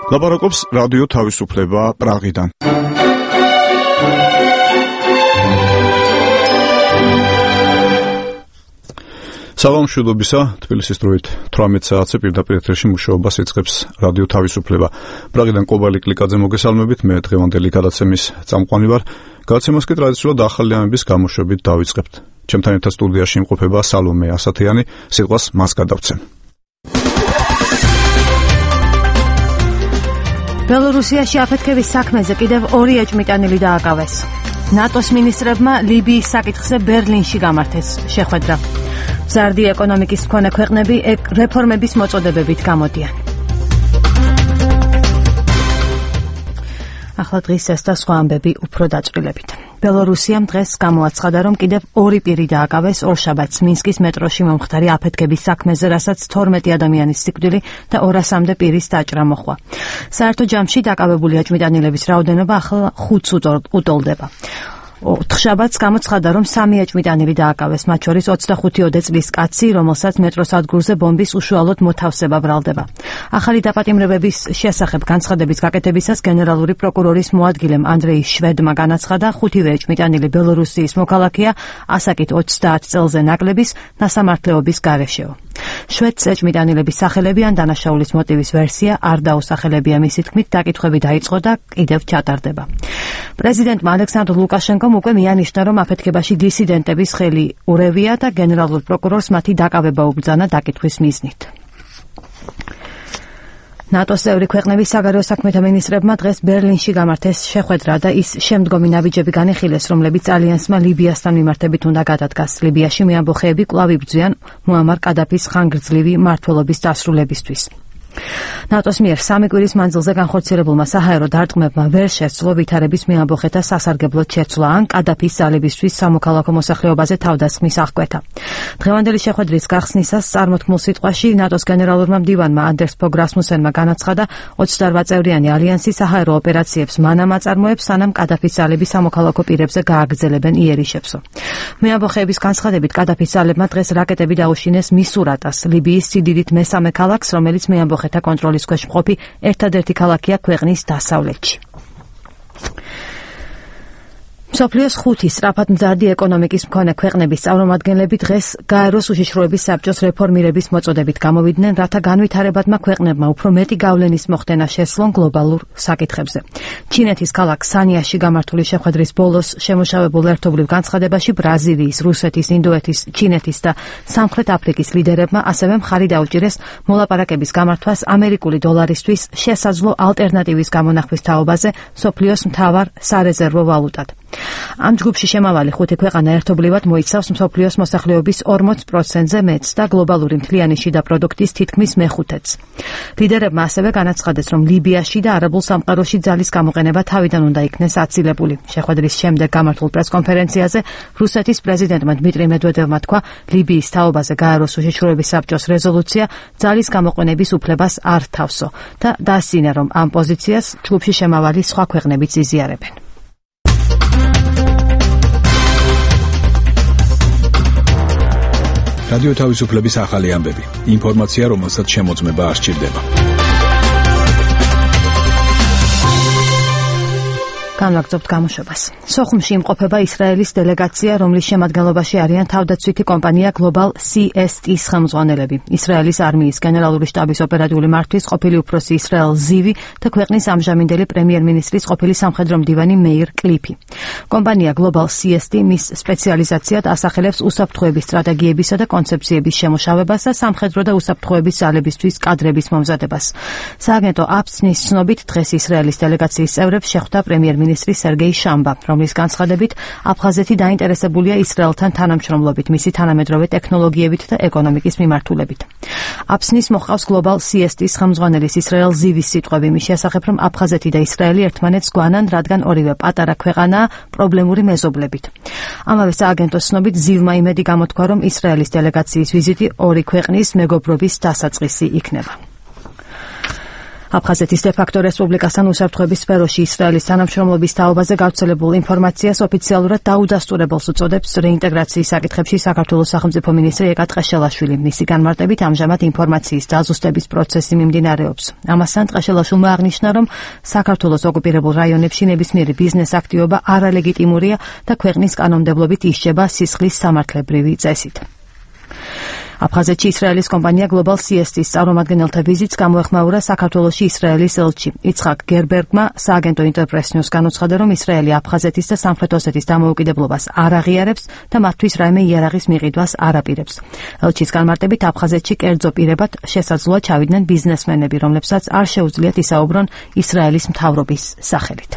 ლაპარაკობს რადიო თავისუფლება პრაღიდან. საღამოშობისა, თბილისის დროით 18 საათზე პირდაპირ ეთერში მუშაობას იწყებს რადიო თავისუფლება. პრაღიდან კობალი კლიკაძე მოგესალმებით, მე დღევანდელი გადაცემის წამყვანი ვარ. გადაცემას კი ტრადიციულად ახალი ამების გამოშვებით დავიწყებთ. ჩემთან ერთად სტუდიაში იმყოფება სალომე ასათიანი, სიტყვას მას გადავცემ. ბელორუსიაში აფეთქების საქმეზე კიდევ 2 ეჭვმიტანილი დააკავეს. ნატოს მინისტრებმა ლიბიის საკითხზე ბერლინში გამართეს შეხვედრა. მზარდი ეკონომიკის მქონე ქვეყნები რეფორმების მოწოდებებით გამოდიან. ახლა დღის ეს და სხვა ამბები უფრო დაწვრილებით. ბელორუსიამ დღეს გამოაცხადა, რომ კიდევ 2 პირი დააკავეს ორშაბათს მინსკის მეტროში მომხდარი აფეთქების საქმეზე, რასაც 12 ადამიანის სიკვდილი და 200-მდე პირის დაჭრა მოჰყვა. საერთო ჯამში დაკავებული ეჭვმიტანილების რაოდენობა ახლა 5-ს უტოლდება. ოთხშაბათს გამოცხადა, რომ 3 ეჭვმიტანილი დააკავეს, მათ შორის 25 წლის კაცი, რომელსაც მეტროს ადგურზე ბომბის უშუალოდ მოთავსება ბრალდება. ახალი დაპატიმრებების შესახებ განცხადების გაკეთებისას გენერალური პროკურორის მოადგილემ ანდრეი შვედმა განაცხადა, 5 ეჭვმიტანილი ბელორუსიის მოქალაქეა, ასაკით 30 წელზე ნაკლების ნასამართლეობის გარეშეო. შვედს ეჭვმიტანილების სახელები ან დანაშაულის მოტივის ვერსია არ დაუსახელებია, მისი თქმით დაკითხვები დაიწყო და კიდევ ჩატარდება. პრეზიდენტმა ალექსანდრ ლუკაშენკომ უკვე მიანიშნა, რომ აფეთქებაში დისიდენტების ხელი ურევია და გენერალურ პროკურორს მათი დაკავება უბრძანა დაკითხვის მიზნით. ნატოს წევრი ქვეყნების საგარეო საქმეთა მინისტრებმა დღეს ბერლინში გამართეს შეხვედრა და ის შემდგომი ნაბიჯები განიხილეს, რომლებიც ალიანსმა ლიბიასთან მიმართებით უნდა გადადგას. ლიბიაში მეამბოხეები კვლავ იბრძვიან მუამარ კადაფის ხანგრძლივი მმართველობის დასრულებისთვის. ნატოს მიერ 3 კვირის მანძილზე განხორციელებულმა საჰაერო დარტყმებმა ვერ შესძლო ვითარების მეამბოხეთა სასარგებლოდ შეცვლა ან კადაფის ძალებისთვის სამოქალაქო მოსახლეობაზე თავდასხმის აღკვეთა. დღევანდელი შეხვედრის გახსნისას წარმოთქმულ სიტყვაში ნატოს გენერალურმა მდივანმა ანდერს ფოგ რასმუსენმა განაცხადა, 28 წევრიანი ალიანსი საჰაერო ოპერაციებს მანამ აწარმოებს, სანამ კადაფის ძალები სამოქალაქო პირებზე გააგრძელებენ იერიშებსო. მეამბოხეების განცხადებით, კადაფის ძალებმა დღეს რაკეტები დაუშინეს მისურატას, ლიბიის სიდიდით მესამე ქალაქს, რომელიც მეამბოხეთა კონტროლის ქვეშ მყოფი ერთადერთი ქალაქია ქვეყნის დასავლეთში. მსოფლიოს 5 სწრაფად მზარდი ეკონომიკის მქონე ქვეყნების წარმომადგენლები დღეს გაეროს უშიშროების საბჭოს რეფორმირების მოწოდებით გამოვიდნენ, რათა განვითარებადმა ქვეყნებმა უფრო მეტი გავლენის მოხდენა შესძლონ გლობალურ საკითხებზე. ჩინეთის ქალაქ სანიაში გამართული შეხვედრის ბოლოს შემოშავებულ ერთობლივ განცხადებაში ბრაზილიის, რუსეთის, ინდოეთის, ჩინეთის და სამხრეთ აფრიკის ლიდერებმა ასევე მხარი დაუჭირეს მოლაპარაკების გამართვას ამერიკული დოლარისთვის შესაძლო ალტერნატივის გამონახვის თაობაზე მსოფლიოს მთავარ სარეზერვო ვალუტად. ამ ჯგუფში შემავალი 5 ქვეყანა ერთობლივად მოიცავს მსოფლიოს მოსახლეობის 40%-ზე მეტს და გლობალური მთლიანი შიდა პროდუქტის თითქმის მე-5-ს. ლიდერებმა ასევე განაცხადეს, რომ ლიბიაში და არაბულ სამყაროში ძალის გამოყენება თავიდან უნდა იქნეს აცილებული. შეხვედრის შემდეგ გამართულ პრესკონფერენციაზე რუსეთის პრეზიდენტმა დმიტრი მედვედევმა თქვა, ლიბიის თაობაზე გაეროს უშიშროების საბჭოს რეზოლუცია ძალის გამოყენების უფლებას არ თავსო და დაასწინა, რომ ამ პოზიციას ჯგუფში შემავალი სხვა ქვეყნებიც იზიარებენ. რადიო თავისუფლების ახალი ამბები. ინფორმაცია, რომელსაც შემოწმება არ სჭირდება. განვაგრძობთ გამოშვებას. სოხუმში იმყოფება ისრაელის დელეგაცია, რომლის შემადგენლობაში არიან თავდაცვითი კომპანია Global CST-ის ხელმძღვანელები, ისრაელის არმიის გენერალური შტაბის ოპერატიული მართვის ყოფილი უფროსი ისრაელ ზივი და ქვეყნის ამჟამინდელი პრემიერ-მინისტრის ყოფილი სამხედრო მდივანი მეირ კლიფი. კომპანია Global CST მის სპეციალიზაციად ასახელებს უსაფრთხოების სტრატეგიებისა და კონცეფციების შემოშავებას და სამხედრო და უსაფრთხოების ძალებისთვის კადრების მომზადებას. სააგენტო აფსნის ცნობით დღეს ისრაელის დელეგაციის წევრებს შეხვდა პრემიერ-მინისტრი სერგეი შამბა, რომლის განცხადებით აფხაზეთი დაინტერესებულია ისრაელთან თანამშრომლობით, მისი თანამედროვე ტექნოლოგიებით და ეკონომიკის მიმართულებით. აფსნის მოჰყავს Global CST-ის ხელმძღვანელის ისრაელ ზივის სიტყვები მის შესახებ, რომ აფხაზეთი და ისრაელი ერთმანეთს გვანან, რადგან ორივე პატარა ქვეყანაა პრობლემური მეზობლებით. ამავე სააგენტოს ცნობით ზივმა იმედი გამოთქვა, რომ ისრაელის დელეგაციის ვიზიტი 2 ქვეყნის მეგობრობის დასაწყისი იქნება. აფხაზეთის დე-ფაქტო რესპუბლიკასთან უსაფრთხოების სფეროში ისრაელის თანამშრომლობის თაობაზე გავრცელებულ ინფორმაციას ოფიციალურად დაუდასტურებელს უწოდებს რეინტეგრაციის საკითხებში საქართველოს სახელმწიფო მინისტრი ეკა ტყეშელაშვილი. მისი განმარტებით ამჟამად ინფორმაციის დაზუსტების პროცესი მიმდინარეობს. ამასთან ტყეშელაშვილმა აღნიშნა, რომ საქართველოს ოკუპირებულ რაიონებში ნებისმიერი ბიზნეს აქტივობა არალეგიტიმურია და ქვეყნის კანონმდებლობით ისჯება სისხლის სამართლებრივი წესით. აფხაზეთში ისრაელის კომპანია Global CST-ის წარმომადგენელთა ვიზიტს გამოეხმაურა საქართველოში ისრაელის ელჩი. იცხაკ გერბერგმა სააგენტო ინტერპრეს-ნიუს განუცხადა, რომ ისრაელი აფხაზეთის და სამხრეთ ოსეთის დამოუკიდებლობას არ აღიარებს და მათთვის რაიმე იარაღის მიყიდვას არ აპირებს. ელჩის განმარტებით, აფხაზეთში კერძო პირებად შესაძლოა ჩავიდნენ ბიზნესმენები, რომლებსაც არ შეუძლიათ ისაუბრონ ისრაელის მთავრობის სახელით.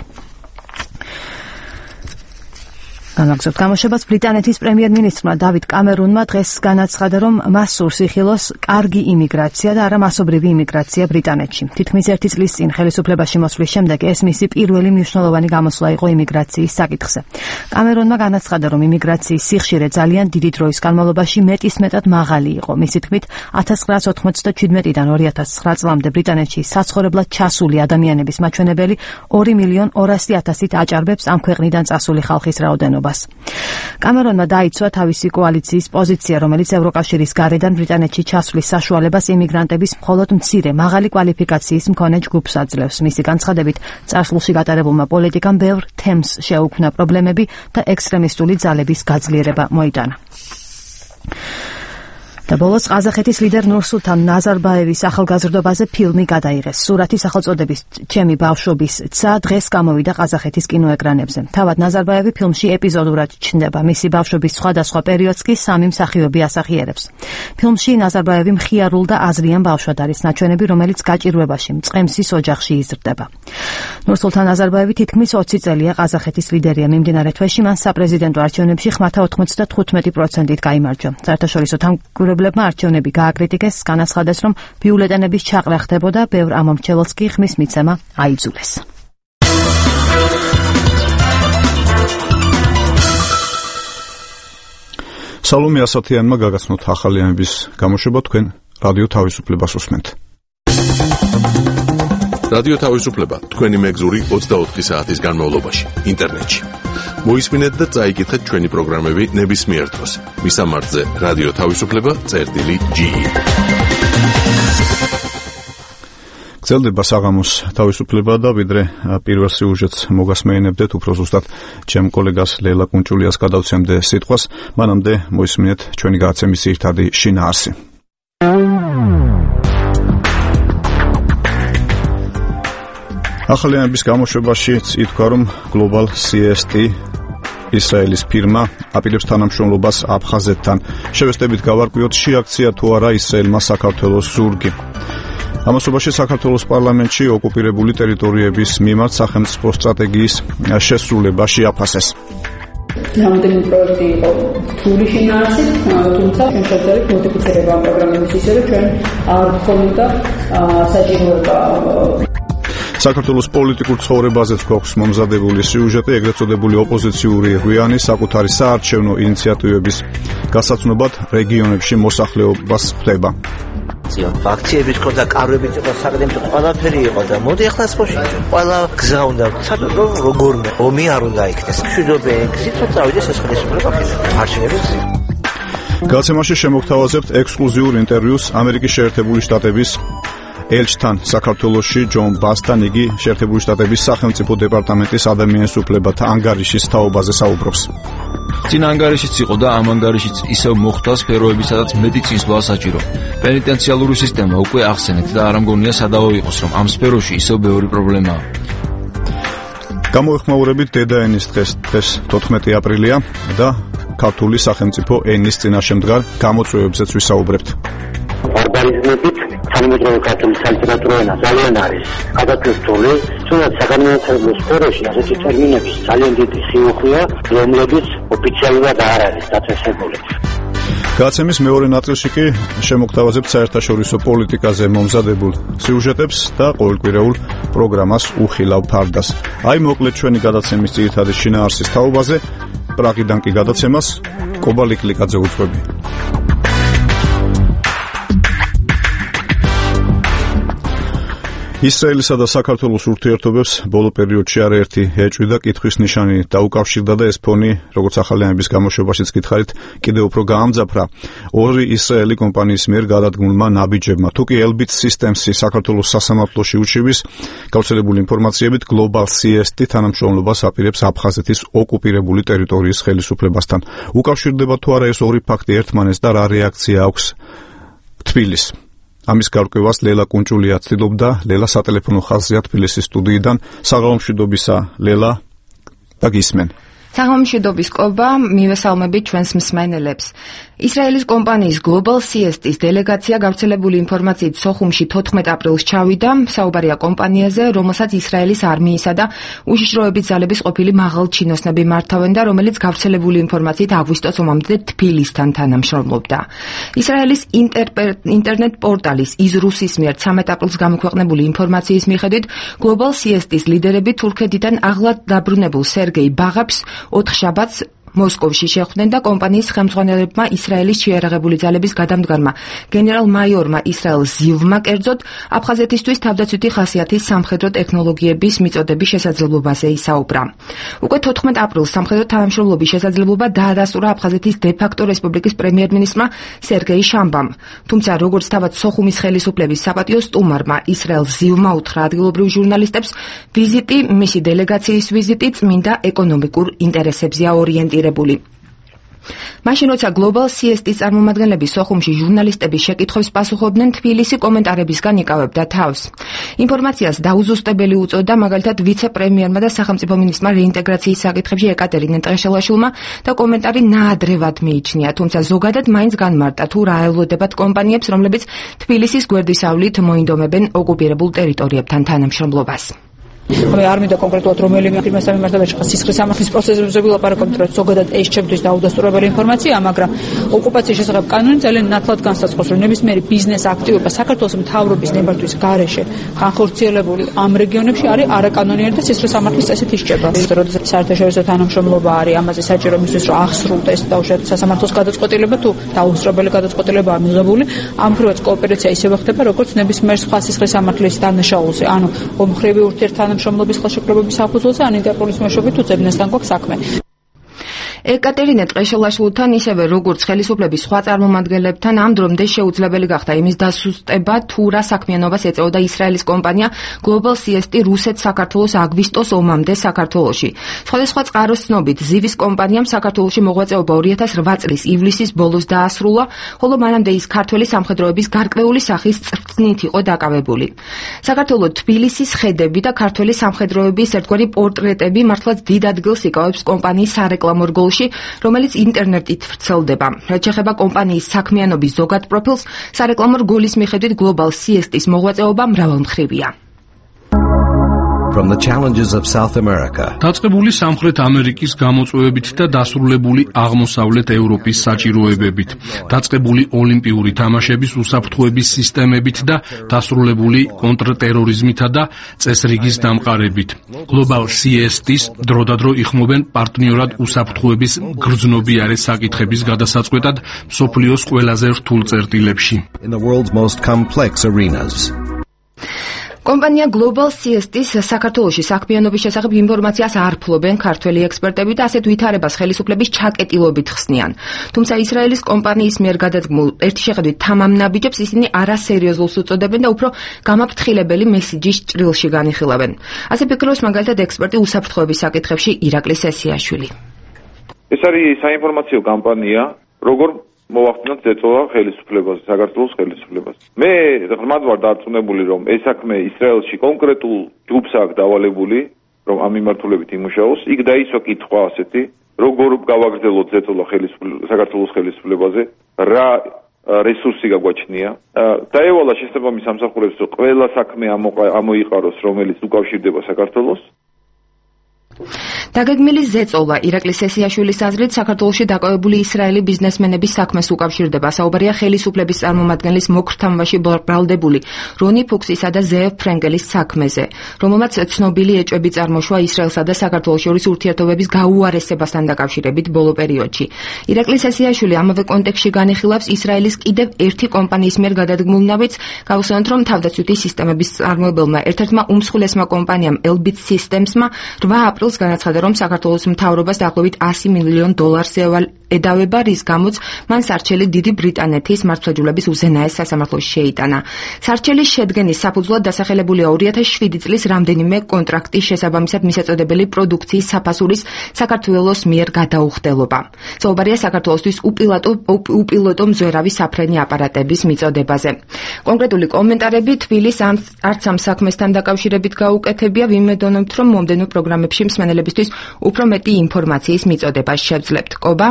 განაგზობთ გამოშვებას ბრიტანეთის პრემიერ-მინისტრმა დავიდ კამერუნმა დღეს განაცხადა, რომ მას სურს იხილოს კარგი იმიგრაცია და არა მასობრივი იმიგრაცია ბრიტანეთში. თითქმის 1 წლის წინ ხელისუფლებაში მოსვლის შემდეგ ეს მისი პირველი მნიშვნელოვანი გამოსვლა იყო იმიგრაციის საკითხზე. კამერუნმა განაცხადა, რომ იმიგრაციის სიხშირე ძალიან დიდი დროის განმავლობაში მეტისმეტად მაღალი იყო. მისი თქმით, 1997-დან 2009 წლამდე ბრიტანეთში საცხოვრებლად ჩასული ადამიანების მაჩვენებელი 2.200.000-ით აჭარბებს ამ ქვეყნიდან წასული ხალხის რაოდენობას. კამერონმა დაიცვა თავისი კოალიციის პოზიცია, რომელიც ევროკავშირის გარედან ბრიტანეთში ჩასვლის საშუალებას იმიგრანტების მხოლოდ მცირე მაღალი კვალიფიკაციის მქონე ჯგუფს აძლევს. მისი განცხადებით, წარსულში გატარებულმა პოლიტიკამ ბევრ თემს შეუქმნა პრობლემები და ექსტრემისტული ძალების გაძლიერება მოიტანა. და ბოლოს ყაზახეთის ლიდერ ნურსულთან ნაზარბაევის ახალგაზრდობაზე ფილმი გადაიღეს. სურათი სახელწოდებით ჩემი ბავშვობის ცა დღეს გამოვიდა ყაზახეთის კინოეკრანებზე. თავად ნაზარბაევი ფილმში ეპიზოდურად ჩნდება. მისი ბავშვობის სხვადასხვა პერიოდს კი სამი მსახიობი ასახიერებს. ფილმში ნაზარბაევი მხიარულ და აზრიან ბავშვად არის ნაჩვენები, რომელიც გაჭირვებაში მწყემსის ოჯახში იზრდება. ნურსულთან ნაზარბაევი თითქმის 20 წელია ყაზახეთის ლიდერია. მიმდინარე თვეში მან საპრეზიდენტო არჩევნებში ხმათა 95%-ით გაიმარჯვა. საერთაშორისო თანამდებლებმა არჩევნები გააკრიტიკეს, განაცხადეს, რომ ბიულეტენების ჩაყრა ხდებოდა, ბევრ ამომრჩეველს კი ხმის მიცემა აიძულეს. სალომე ასათიანმა გაგაცნოთ ახალი ამების გამოშვება, თქვენ რადიო თავისუფლებას უსმენთ. რადიო თავისუფლება თქვენი მეგზური 24 საათის განმავლობაში ინტერნეტში. მოისმინეთ და წაიკითხეთ ჩვენი პროგრამები ნებისმიერ დროს. მისამართზე რადიო თავისუფლება.ge. გრძელდება საღამოს თავისუფლება და ვიდრე პირველ სიუჟეტს მოგასმეინებდეთ, უფრო ზუსტად ჩემ კოლეგას ლელა კუნჭულიას გადავცემდე სიტყვას, მანამდე მოისმინეთ ჩვენი გადაცემის ძირითადი შინაარსი. ახალი ამბის გამოშვებაში ითქვა, რომ Global CST ისრაელის ფირმა აპირებს თანამშრომლობას აფხაზეთთან. შევესწრებით გავარკვიოთ, შეაქცია თუ არა ისრაელმა საქართველოს ზურგი. ამასობაში საქართველოს პარლამენტში ოკუპირებული ტერიტორიების მიმართ სახელმწიფო სტრატეგიის შესრულება შეაფასეს. Რამდენი პროექტი იყო რთული შინაარსით, თუმცა ჩვენ შევძლებთ მოდიფიცირება ამ პროგრამების ისე, რომ ჩვენ არ გქონოდა საჭიროება საქართველოს პოლიტიკურ ცხოვრებაზეც გვაქვს მომზადებული სიუჟეტი, ეგრეთ წოდებული ოპოზიციური ღვიანი საკუთარი საარჩევნო ინიციატივების გასაცნობად რეგიონებში მოსახლეობას ხვდება. აქციების ქონდა, კარვებიც იყო, საკუთრებით ყველაფერი იყო და მოდი ახლა სპორტში ყველა გზა უნდა ცადო როგორმე ომი არ უნდა იქნეს. მშვიდობე ეგზით წავიდეს ეს ხელისუფლება არჩევნების. გადაცემაში შემოგთავაზებთ ექსკლუზიურ ინტერვიუს ამერიკის შეერთებული შტატების ელჩთან საქართველოში ჯონ ბასთან. იგი შეერთებული შტატების სახელმწიფო დეპარტამენტის ადამიანის უფლებათა ანგარიშის თაობაზე საუბრობს. წინ ანგარიშიც იყო და ამ ანგარიშიც ისევ მოხდა სფეროები, სადაც მეტი წინსვლა საჭირო. პენიტენციალური სისტემა უკვე ახსენეთ და არ ამგონია სადავო იყოს, რომ ამ სფეროში ისევ ბევრი პრობლემაა. გამოეხმაურებით დედაენის დღეს 14 აპრილია და ქართული სახელმწიფო ენის წინაშე მდგარ გამოწვევებზეც ვისაუბრებთ. ბარბარიზმებით თანამედროვე ქართული სალიტერატურო ენა ძალიან არის გადატვირთული, თუნდაც საგანმანათლებლო სფეროში ასეთი ტერმინების ძალიან დიდი სიუხვეა, რომლებიც ოფიციალურად არ არის დაწესებული. გადაცემის მეორე ნაწილში კი შემოგთავაზებთ საერთაშორისო პოლიტიკაზე მომზადებულ სიუჟეტებს და ყოველკვირეულ პროგრამას უხილავ ფარდას. აი მოკლედ ჩვენი გადაცემის ძირითადი შინაარსის თაობაზე, პრაღიდან კი გადაცემას კობალი კლიკაძე უძღვები. ისრაელისა და საქართველოს ურთიერთობებს ბოლო პერიოდში არაერთი ეჭვი და კითხვის ნიშანი დაუკავშირდა და ეს ფონი, როგორც ახალი ამბის გამოშვებაშიც გითხარით, კიდევ უფრო გაამძაფრა ორი ისრაელი კომპანიის მიერ გადადგმულმა ნაბიჯებმა. თუკი Elbit Systems-ი საქართველოს სასამართლოში უჩივის, გავრცელებული ინფორმაციებით Global CST თანამშრომლობას აპირებს აფხაზეთის ოკუპირებული ტერიტორიის ხელისუფლებასთან. უკავშირდება თუ არა ეს ორი ფაქტი ერთმანეთს და რა რეაქცია აქვს თბილისს? ამის გარკვევას ლელა კუნჭულია ცდილობდა. ლელა სატელეფონო ხაზია თბილისის სტუდიიდან. საღამომშვიდობისა ლელა და გისმენ. საღამომშვიდობის კობა, მივესალმებით ჩვენს მსმენელებს. ისრაელის კომპანიის Global CST-ის დელეგაცია გავრცელებული ინფორმაციით სოხუმში 14 აპრილს ჩავიდა. საუბარია კომპანიაზე, რომელსაც ისრაელის არმიისა და უშიშროების ძალების ყოფილი მაღალჩინოსნები მართავენ და რომელიც გავრცელებული ინფორმაციით აგვისტოს ომამდე თბილისთან თანამშრომლობდა. ისრაელის ინტერნეტ პორტალის იზრუსის მიერ 13 აპრილს გამოქვეყნებული ინფორმაციის მიხედვით, Global CST-ის ლიდერები თურქეთიდან აღლად დაბრუნებულ სერგეი ბაღაპს 4 შაბათს მოსკოვში შეხვდნენ და კომპანიის ხელმძღვანელებმა ისრაელის შეიარაღებული ძალების გადამდგარმა გენერალ-მაიორმა ისრაელ ზივმა კერძოდ აფხაზეთისთვის თავდაცვითი ხასიათის სამხედრო ტექნოლოგიების მიწოდების შესაძლებლობაზე ისაუბრა. უკვე 14 აპრილს სამხედრო თანამშრომლობის შესაძლებლობა დაადასტურა აფხაზეთის დე-ფაქტო რესპუბლიკის პრემიერ-მინისტრმა სერგეი შამბამ. თუმცა როგორც თავად სოხუმის ხელისუფლების საპატიო სტუმარმა ისრაელ ზივმა უთხრა ადგილობრივ ჟურნალისტებს, ვიზიტი, მისი დელეგაციის ვიზიტი წმინდა ეკონომიკურ ინტერესებზეა ორიენტირებული. მაშინ როცა Global CST-ის წარმომადგენლები სოხუმში ჟურნალისტების შეკითხვებს პასუხობდნენ, თბილისი კომენტარებისგან იკავებდა თავს. ინფორმაციას დაუზუსტებელი უწოდა მაგალითად ვიცე-პრემიერმა და სახელმწიფო მინისტრმა რეინტეგრაციის საკითხებში ეკატერინე ტრეშელაშვილმა და კომენტარი ნაადრევად მიიჩნია, თუმცა ზოგადად მაინც განმარტა თუ რა ელოდებათ კომპანიებს, რომლებიც თბილისის გვერდისავლით მოინდომებენ ოკუპირებულ ტერიტორიებთან თანამშრომლობას. არ მინდა კონკრეტულად რომელიმე ფირმასთან მიმართებაში სისხლის სამართლის პროცესებზე ვილაპარაკოთ, რომ ზოგადად ეს ჩემთვის დაუდასტურებელი ინფორმაციაა, მაგრამ ოკუპაციის შესახებ კანონი ძალიან ნათლად განსაზღვრავს, რომ ნებისმიერი ბიზნეს აქტივობა საქართველოს მთავრობის ნებართვის გარეშე ხანხორციელებული ამ რეგიონებში არის არაკანონიერი და სისხლის სამართლის წესით ისჭება. როდესაც საერთაშორისო თანამშრომლობა არის ამაზე საჭირო მისთვის, რომ აღსრულდეს დაუშვათ სასამართლოს გადაწყვეტილება თუ დაუსწრებელი გადაწყვეტილებაა მიღებული, ამ მხრივაც კოოპერაცია ისევე ხდება, როგორც ნებისმიერ სხვა სისხლის სამართლის დანაშაულზე, ანუ ომხრივი ურთიერთთანამშრომლობის ხელშეკრულების საფუძველზე ან ინტერპოლის მეშვეობით უძებნესთან გვაქვს საქმე. ეკატერინე ტრეშელაშვილთან ისევე როგორც ხელისუფლების სხვა წარმომადგენლებთან ამ დრომდე შეუძლებელი გახდა იმის დასუსტება, თუ რა საქმიანობას ეწეოდა ისრაელის კომპანია Global CST რუსეთ-საქართველოს აგვისტოს ომამდე საქართველოში. სხვადასხვა წყაროს ცნობით, ზივის კომპანიამ საქართველოში მოღვაწეობა 2008 წლის ივლისის ბოლოს დაასრულა, ხოლო მანამდე ის ქართველი სამხედროების გარკვეული სახის წრწნით იყო დაკავებული. საქართველოს თბილისის ხედები და ქართველი სამხედროების ერთგვარი პორტრეტები მართლაც დიდ ადგილს იკავებს კომპანიის სარეკლამო რგოლში, რომელიც ინტერნეტით ვრცელდება. რაც შეეხება კომპანიის საქმიანობის ზოგად პროფილს, სარეკლამო რგოლის მიხედვით Global CST-ის მოღვაწეობა მრავალმხრივია. From the challenges of South America. დაწყებული სამხრეთ ამერიკის გამოწვევებით და დასრულებული აღმოსავლეთ ევროპის საჭიროებებით, დაწყებული ოლიმპიური თამაშების უსაფრთხოების სისტემებით და დასრულებული კონტრტერორიზმითა და წესრიგის დამყარებით. Global CST-ის დროდადრო იხმობენ პარტნიორად უსაფრთხოების გრძნობიარე საკითხების გადასაწყვეტად მსოფლიოს ყველაზე რთულ წერტილებში. In the world's most complex arenas. კომპანია Global CST-ის საქართველოში საქმიანობის შესახებ ინფორმაციას არ ფლობენ ქართველი ექსპერტები და ასეთ ვითარებას ხელისუფლების ჩაკეტილობით ხსნიან. თუმცა ისრაელის კომპანიის მიერ გადადგმულ ერთი შეხედვით თამამ ნაბიჯებს ისინი არასერიოზულს უწოდებენ და უფრო გამაფრთხილებელი მესიჯის ჭრილში განიხილავენ. ასე ფიქრობს მაგალითად ექსპერტი უსაფრთხოების საკითხებში ირაკლი სესიაშვილი. ეს არის საინფორმაციო კამპანია, როგორ მოვახდინოთ ზეწოლა ხელისუფლებას, საქართველოს ხელისუფლებას. მე ღრმად ვარ დარწმუნებული, რომ ეს საქმე ისრაელში კონკრეტულ ჯგუფს აქვს დავალებული, რომ ამ მიმართულებით იმუშაოს. იქ დაისვა კითხვა ასეთი, როგორ გავაგრძელოთ ზეწოლა საქართველოს ხელისუფლებაზე, რა რესურსი გაგვაჩნია. დაევალა შესაბამის სამსახურებს, რომ ყველა საქმე ამოიყაროს, რომელიც უკავშირდება საქართველოს. დაგეგმილი ზეწოლა ირაკლი სესიაშვილის აზრით საქართველოში დაკავებული ისრაელი ბიზნესმენების საქმეს უკავშირდება. საუბარია ხელისუფლების წარმომადგენლის მოქრთამაში ბრალდებული რონი ფუქსისა და ზეევ ფრენგელის საქმეზე, რომელმაც ცნობილი ეჭვები წარმოშვა ისრაელსა და საქართველოს შორის ურთიერთობების გაუარესებასთან დაკავშირებით ბოლო პერიოდში. ირაკლი სესიაშვილი ამავე კონტექსტში განიხილავს ისრაელის კიდევ ერთი კომპანიის მიერ გადადგმულ ნაბიჯს, გავუსვენოთ, რომ თავდაცვითი სისტემების წარმოებელმა ერთ-ერთმა უმსხვილესმა კომპანიამ Elbit Systems-მა 8 აპრილს განაცხადა, რომ საქართველოს მთავრობას დაახლოებით $100 მილიონ ედავება, რის გამოც მან სარჩელი დიდი ბრიტანეთის მართლმსაჯულების უზენაეს სასამართლოში შეიტანა. სარჩელის შედგენის საფუძვლად დასახელებულია 2007 წლის რამდენიმე კონტრაქტის შესაბამისად მისაწოდებელი პროდუქციის საფასურის საქართველოს მიერ გადაუხდელობა. საუბარია საქართველოსთვის უპილოტო მზვერავი საფრენი აპარატების მიწოდებაზე. კონკრეტული კომენტარები თბილის არც ამ საქმესთან დაკავშირებით გაუკეთებია, ვიმედოვნებთ, რომ მომდევნო პროგრამებში მსმენელებისთვის უფრო მეტი ინფორმაციის მიწოდებას შევძლებთ. კობა?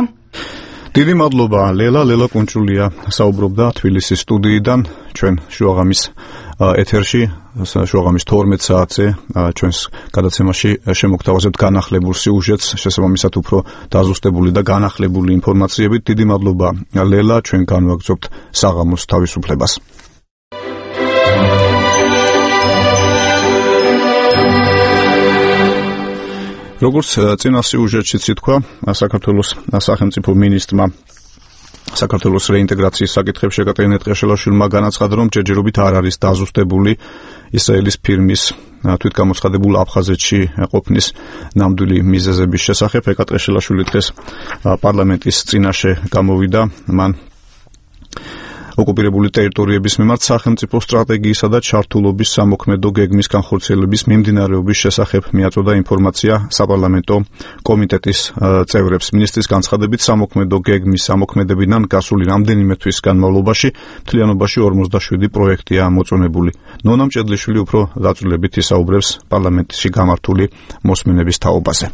დიდი მადლობა ლელა კუნჭულია საუბრობდა თბილისის სტუდიიდან ჩვენ შუაღამის ეთერში შუაღამის 12 საათზე ჩვენს გადაცემაში შემოგთავაზებთ განახლებულ სიუჟეტს შესაბამისად უფრო დაზუსტებული და განახლებული ინფორმაციებით. დიდი მადლობა ლელა, ჩვენ განვაგრძობთ საღამოს თავისუფლებას. როგორც წინა სიუჟეტშიც ითქვა, საქართველოს სახელმწიფო მინისტრმა საქართველოს რეინტეგრაციის საკითხებში ეკატერინე ტყეშელაშვილმა განაცხადა, რომ ჯერჯერობით არ არის დაზუსტებული ისრაელის ფირმის თვითგამოცხადებულ აფხაზეთში ყოფნის ნამდვილი მიზეზების შესახებ. ეკატერინე დღეს პარლამენტის წინაშე გამოვიდა, მან ოკუპირებული ტერიტორიების მიმართ სახელმწიფო სტრატეგიისა და ჩართულობის სამოქმედო გეგმის განხორციელების მიმდინარეობის შესახებ მიაწოდა ინფორმაცია საპარლამენტო კომიტეტის წევრებს. მინისტრის განცხადებით, სამოქმედო გეგმის სამოქმედებიდან გასული რამდენიმე თვის განმავლობაში მთლიანობაში 47 პროექტია მოწონებული. ნონა მჭედლიშვილი უფრო დაწვრილებით ისაუბრებს პარლამენტში გამართული მოსმენების თაობაზე.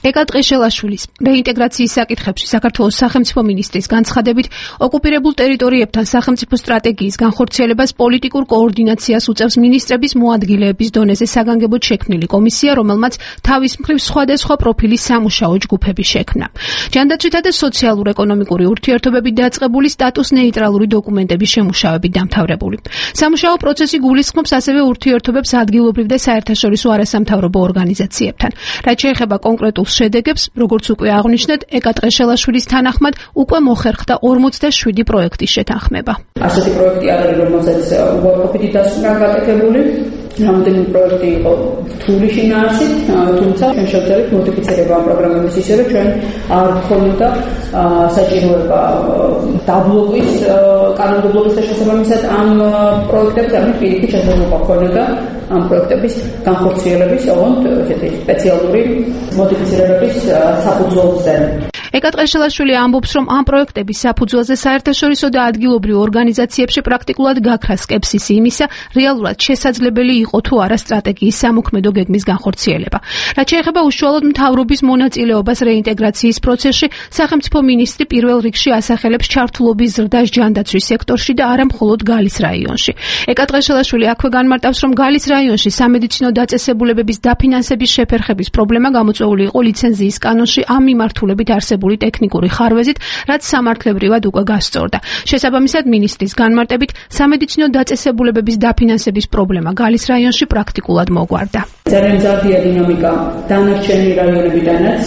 ეკატერინეშვილის რეინტეგრაციის საკითხებში საქართველოს სახელმწიფო მინისტრის განცხადებით, ოკუპირებულ ტერიტორიებთან სახელმწიფო სტრატეგიის განხორციელებას პოლიტიკურ კოორდინაციას უწევს მინისტრების მოადგილეების დონეზე საგანგებოდ შექმნილი კომისია, რომელმაც თავის მხრივ სხვადასხვა პროფილის სამუშაო ჯგუფები შექმნა. ჯანდაცვითა და სოციალურ-ეკონომიკური ურთიერთობებით დაწყებული სტატუს ნეიტრალური დოკუმენტების შემუშავებით დამთავრებული. სამუშაო პროცესი გულისხმობს ასევე ურთიერთობებს ადგილობრივ და საერთაშორისო არასამთავრობო ორგანიზაციებთან. რაც შეეხება კონკრეტულ შედეგებს, როგორც უკვე აღნიშნეთ, ეკატერინეშვილის თანახმად უკვე მოხერხდა 47 პროექტის შეთანხმება. ასეთი პროექტი არ არის, რომელსაც უარყოფითი დასკვნა გაკეთებული. რამდენი პროექტი იყო რთული შინაარსით, თუმცა ჩვენ შევძლებთ მოდიფიცირება ამ პროგრამების ისე, რომ ჩვენ არ გქონოდა საჭიროება დაბლოკვის კანონმდებლობის შესაბამისად ამ პროექტებს, ამით პირიქით შესაძლებლობა ჰქონოდა ამ პროექტების განხორციელების ოღონდ ესეთი სპეციალური მოდიფიცირებების საფუძველზე. ეკატერინეშვილი ამბობს, რომ ამ პროექტების საფუძველზე საერთაშორისო და ადგილობრივ ორგანიზაციებში პრაქტიკულად გაქრა სკეპსისი იმისა, რეალურად შესაძლებელი იყო თუ არა სტრატეგიის სამოქმედო გეგმის განხორციელება. რაც შეეხება უშუალოდ მთავრობის მონაწილეობას რეინტეგრაციის პროცესში, სახელმწიფო მინისტრი პირველ რიგში ასახელებს ჩართულობის ზრდას ჯანდაცვის სექტორში და არა მხოლოდ გალის რაიონში. ეკატერინეშვილი აქვე განმარტავს, რომ გალის რაიონში სამედიცინო დაწესებულებების დაფინანსების შეფერხების პრობლემა გამოწვეული იყო ლიცენზიის კანონში ამ მიმართულებით არსებული ტექნიკური ხარვეზით, რაც სამართლებრივად უკვე გასწორდა. შესაბამისად, მინისტრის განმარტებით, სამედიცინო დაწესებულებების დაფინანსების პრობლემა გალის რაიონში პრაქტიკულად მოგვარდა. ძალიან მზარდია დინამიკა დანარჩენი რაიონებიდანაც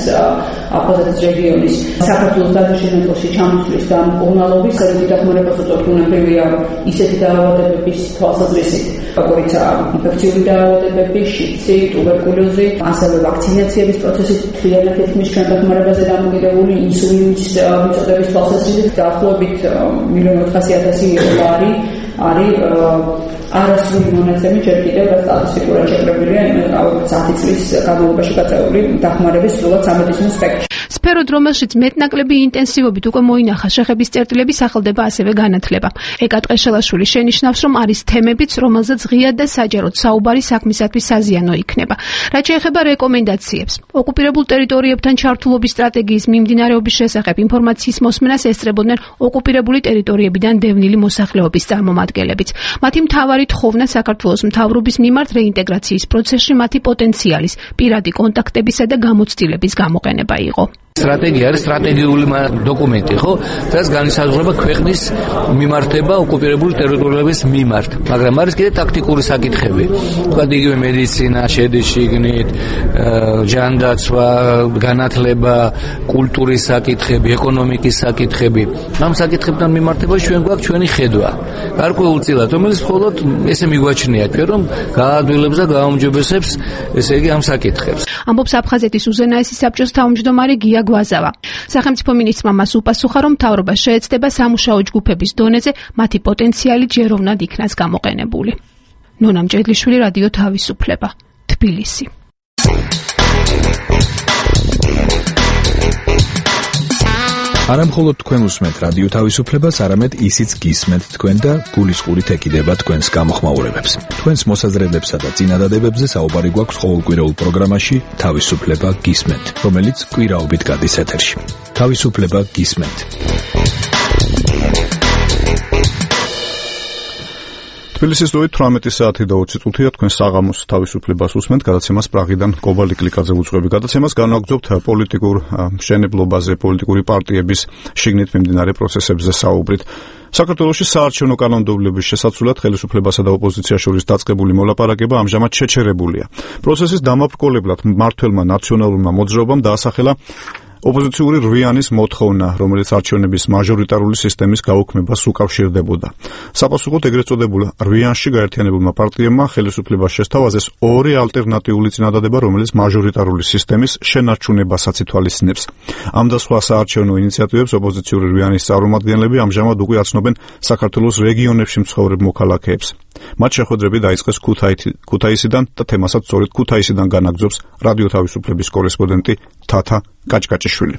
აფხაზეთის რეგიონის საქართველოს დაწესებულებაში ჩამოსვლის და უმალობის საერთო დახმარებას უწევთ უნაფრევია ისეთი დაავადებების თვალსაზრისით, როგორიცაა ინფექციური დაავადებები, შიდსი, ტუბერკულოზი, ასევე ვაქცინაციების პროცესი მთლიანად ეთმის ჩვენ დახმარებაზე დამოკიდებული ინსულინის მიწოდების თვალსაზრისით დაახლოებით 1,400,000 არის არასრული მონაცემი ჯერ კიდევ რა სტატისტიკურად შეკრებილია 10 წლის განმავლობაში გაწეული დახმარების სრულად სამედიცინო სპექტრში. სფეროდ, რომელშიც მეტნაკლები ინტენსივობით უკვე მოინახა შეხების წერტილების სახელდება ასევე განათლება. ეკა ტყეშელაშვილი შენიშნავს, რომ არის თემებიც, რომელზეც ღიად და საჯაროდ საუბარი საქმისათვის საზიანო იქნება. რაც შეეხება რეკომენდაციებს, ოკუპირებულ ტერიტორიებთან ჩართულობის სტრატეგიის მიმდინარეობის შესახებ ინფორმაციის მოსმენას ესწრებოდნენ ოკუპირებული ტერიტორიებიდან დევნილი მოსახლეობის წარმომადგენლებიც. მათი მთავარი თხოვნა საქართველოს მთავრობის მიმართ რეინტეგრაციის პროცესში მათი პოტენციალის, პირადი კონტაქტებისა და გამოცდილების გამოყენება იყო. სტრატეგია არის სტრატეგიული დოკუმენტი, ხო? რაც განისაზღვრება ქვეყნის მიმართება ოკუპირებული ტერიტორიების მიმართ. მაგრამ არის კიდე ტაქტიკური საკითხები. თქვა იგივე მედიცინა, შედის შიგნით, ჯანდაცვა, განათლება, კულტურის საკითხები, ეკონომიკის საკითხები. ამ საკითხებთან მიმართებაში ჩვენ გვაქვს ჩვენი ხედვა. გარკვეულწილად, რომელიც მხოლოდ ესე მიგვაჩნია ჩვენ, რომ გაადვილებს და გააუმჯობესებს, ესე იგი ამ საკითხებს. ამბობს აფხაზეთის უზენაესი საბჭოს თავმჯდომარე გია გვაზავა. სახელმწიფო მინისტრმა მას უპასუხა, რომ მთავრობა შეეცდება სამუშაო ჯგუფების დონეზე მათი პოტენციალი ჯეროვნად იქნას გამოყენებული. ნონა მჭედლიშვილი, რადიო თავისუფლება, თბილისი. არა მხოლოდ თქვენ უსმენთ რადიო თავისუფლებას, არამედ ისიც გისმენთ თქვენ და გულისყურით ეკიდება თქვენს გამოხმაურებებს. თქვენს მოსაზრებებსა და წინადადებებზე საუბარი გვაქვს ყოველკვირეულ პროგრამაში თავისუფლება გისმენთ, რომელიც კვირაობით გადის ეთერში. თავისუფლება გისმენთ. თბილისის დროით 18 საათი და 20 წუთია თქვენ საღამოს თავისუფლებას უსმენთ. გადაცემას პრაღიდან კობალი კლიკაძე უძღვები. გადაცემას განვაგრძობთ პოლიტიკურ მშენებლობაზე, პოლიტიკური პარტიების შიგნით მიმდინარე პროცესებზე საუბრით. საქართველოში საარჩევნო კანონმდებლობის შესაცვლად ხელისუფლებასა და ოპოზიციას შორის დაწყებული მოლაპარაკება ამჟამად შეჩერებულია. პროცესის დამაბრკოლებლად მმართველმა ნაციონალურმა მოძრაობამ დაასახელა ოპოზიციური რვიანის მოთხოვნა, რომელიც არჩევნების მაჟორიტარული სისტემის გაუქმებას უკავშირდებოდა. საპასუხოდ ეგრეთ წოდებულ რვიანში გაერთიანებულმა პარტიებმა ხელისუფლებას შესთავაზეს ორი ალტერნატიული წინადადება, რომელიც მაჟორიტარული სისტემის შენარჩუნებასაც ითვალისწინებს. ამ და სხვა საარჩევნო ინიციატივებს ოპოზიციური რვიანის წარმომადგენლები ამჟამად უკვე აცნობენ საქართველოს რეგიონებში მცხოვრებ მოქალაქეებს. მათ შეხვედრები დაიწყეს ქუთაისიდან და თემასაც სწორედ ქუთაისიდან განაგრძობს რადიო თავისუფლების კორესპონდენტი თათა კაჭკაჭიშვილი.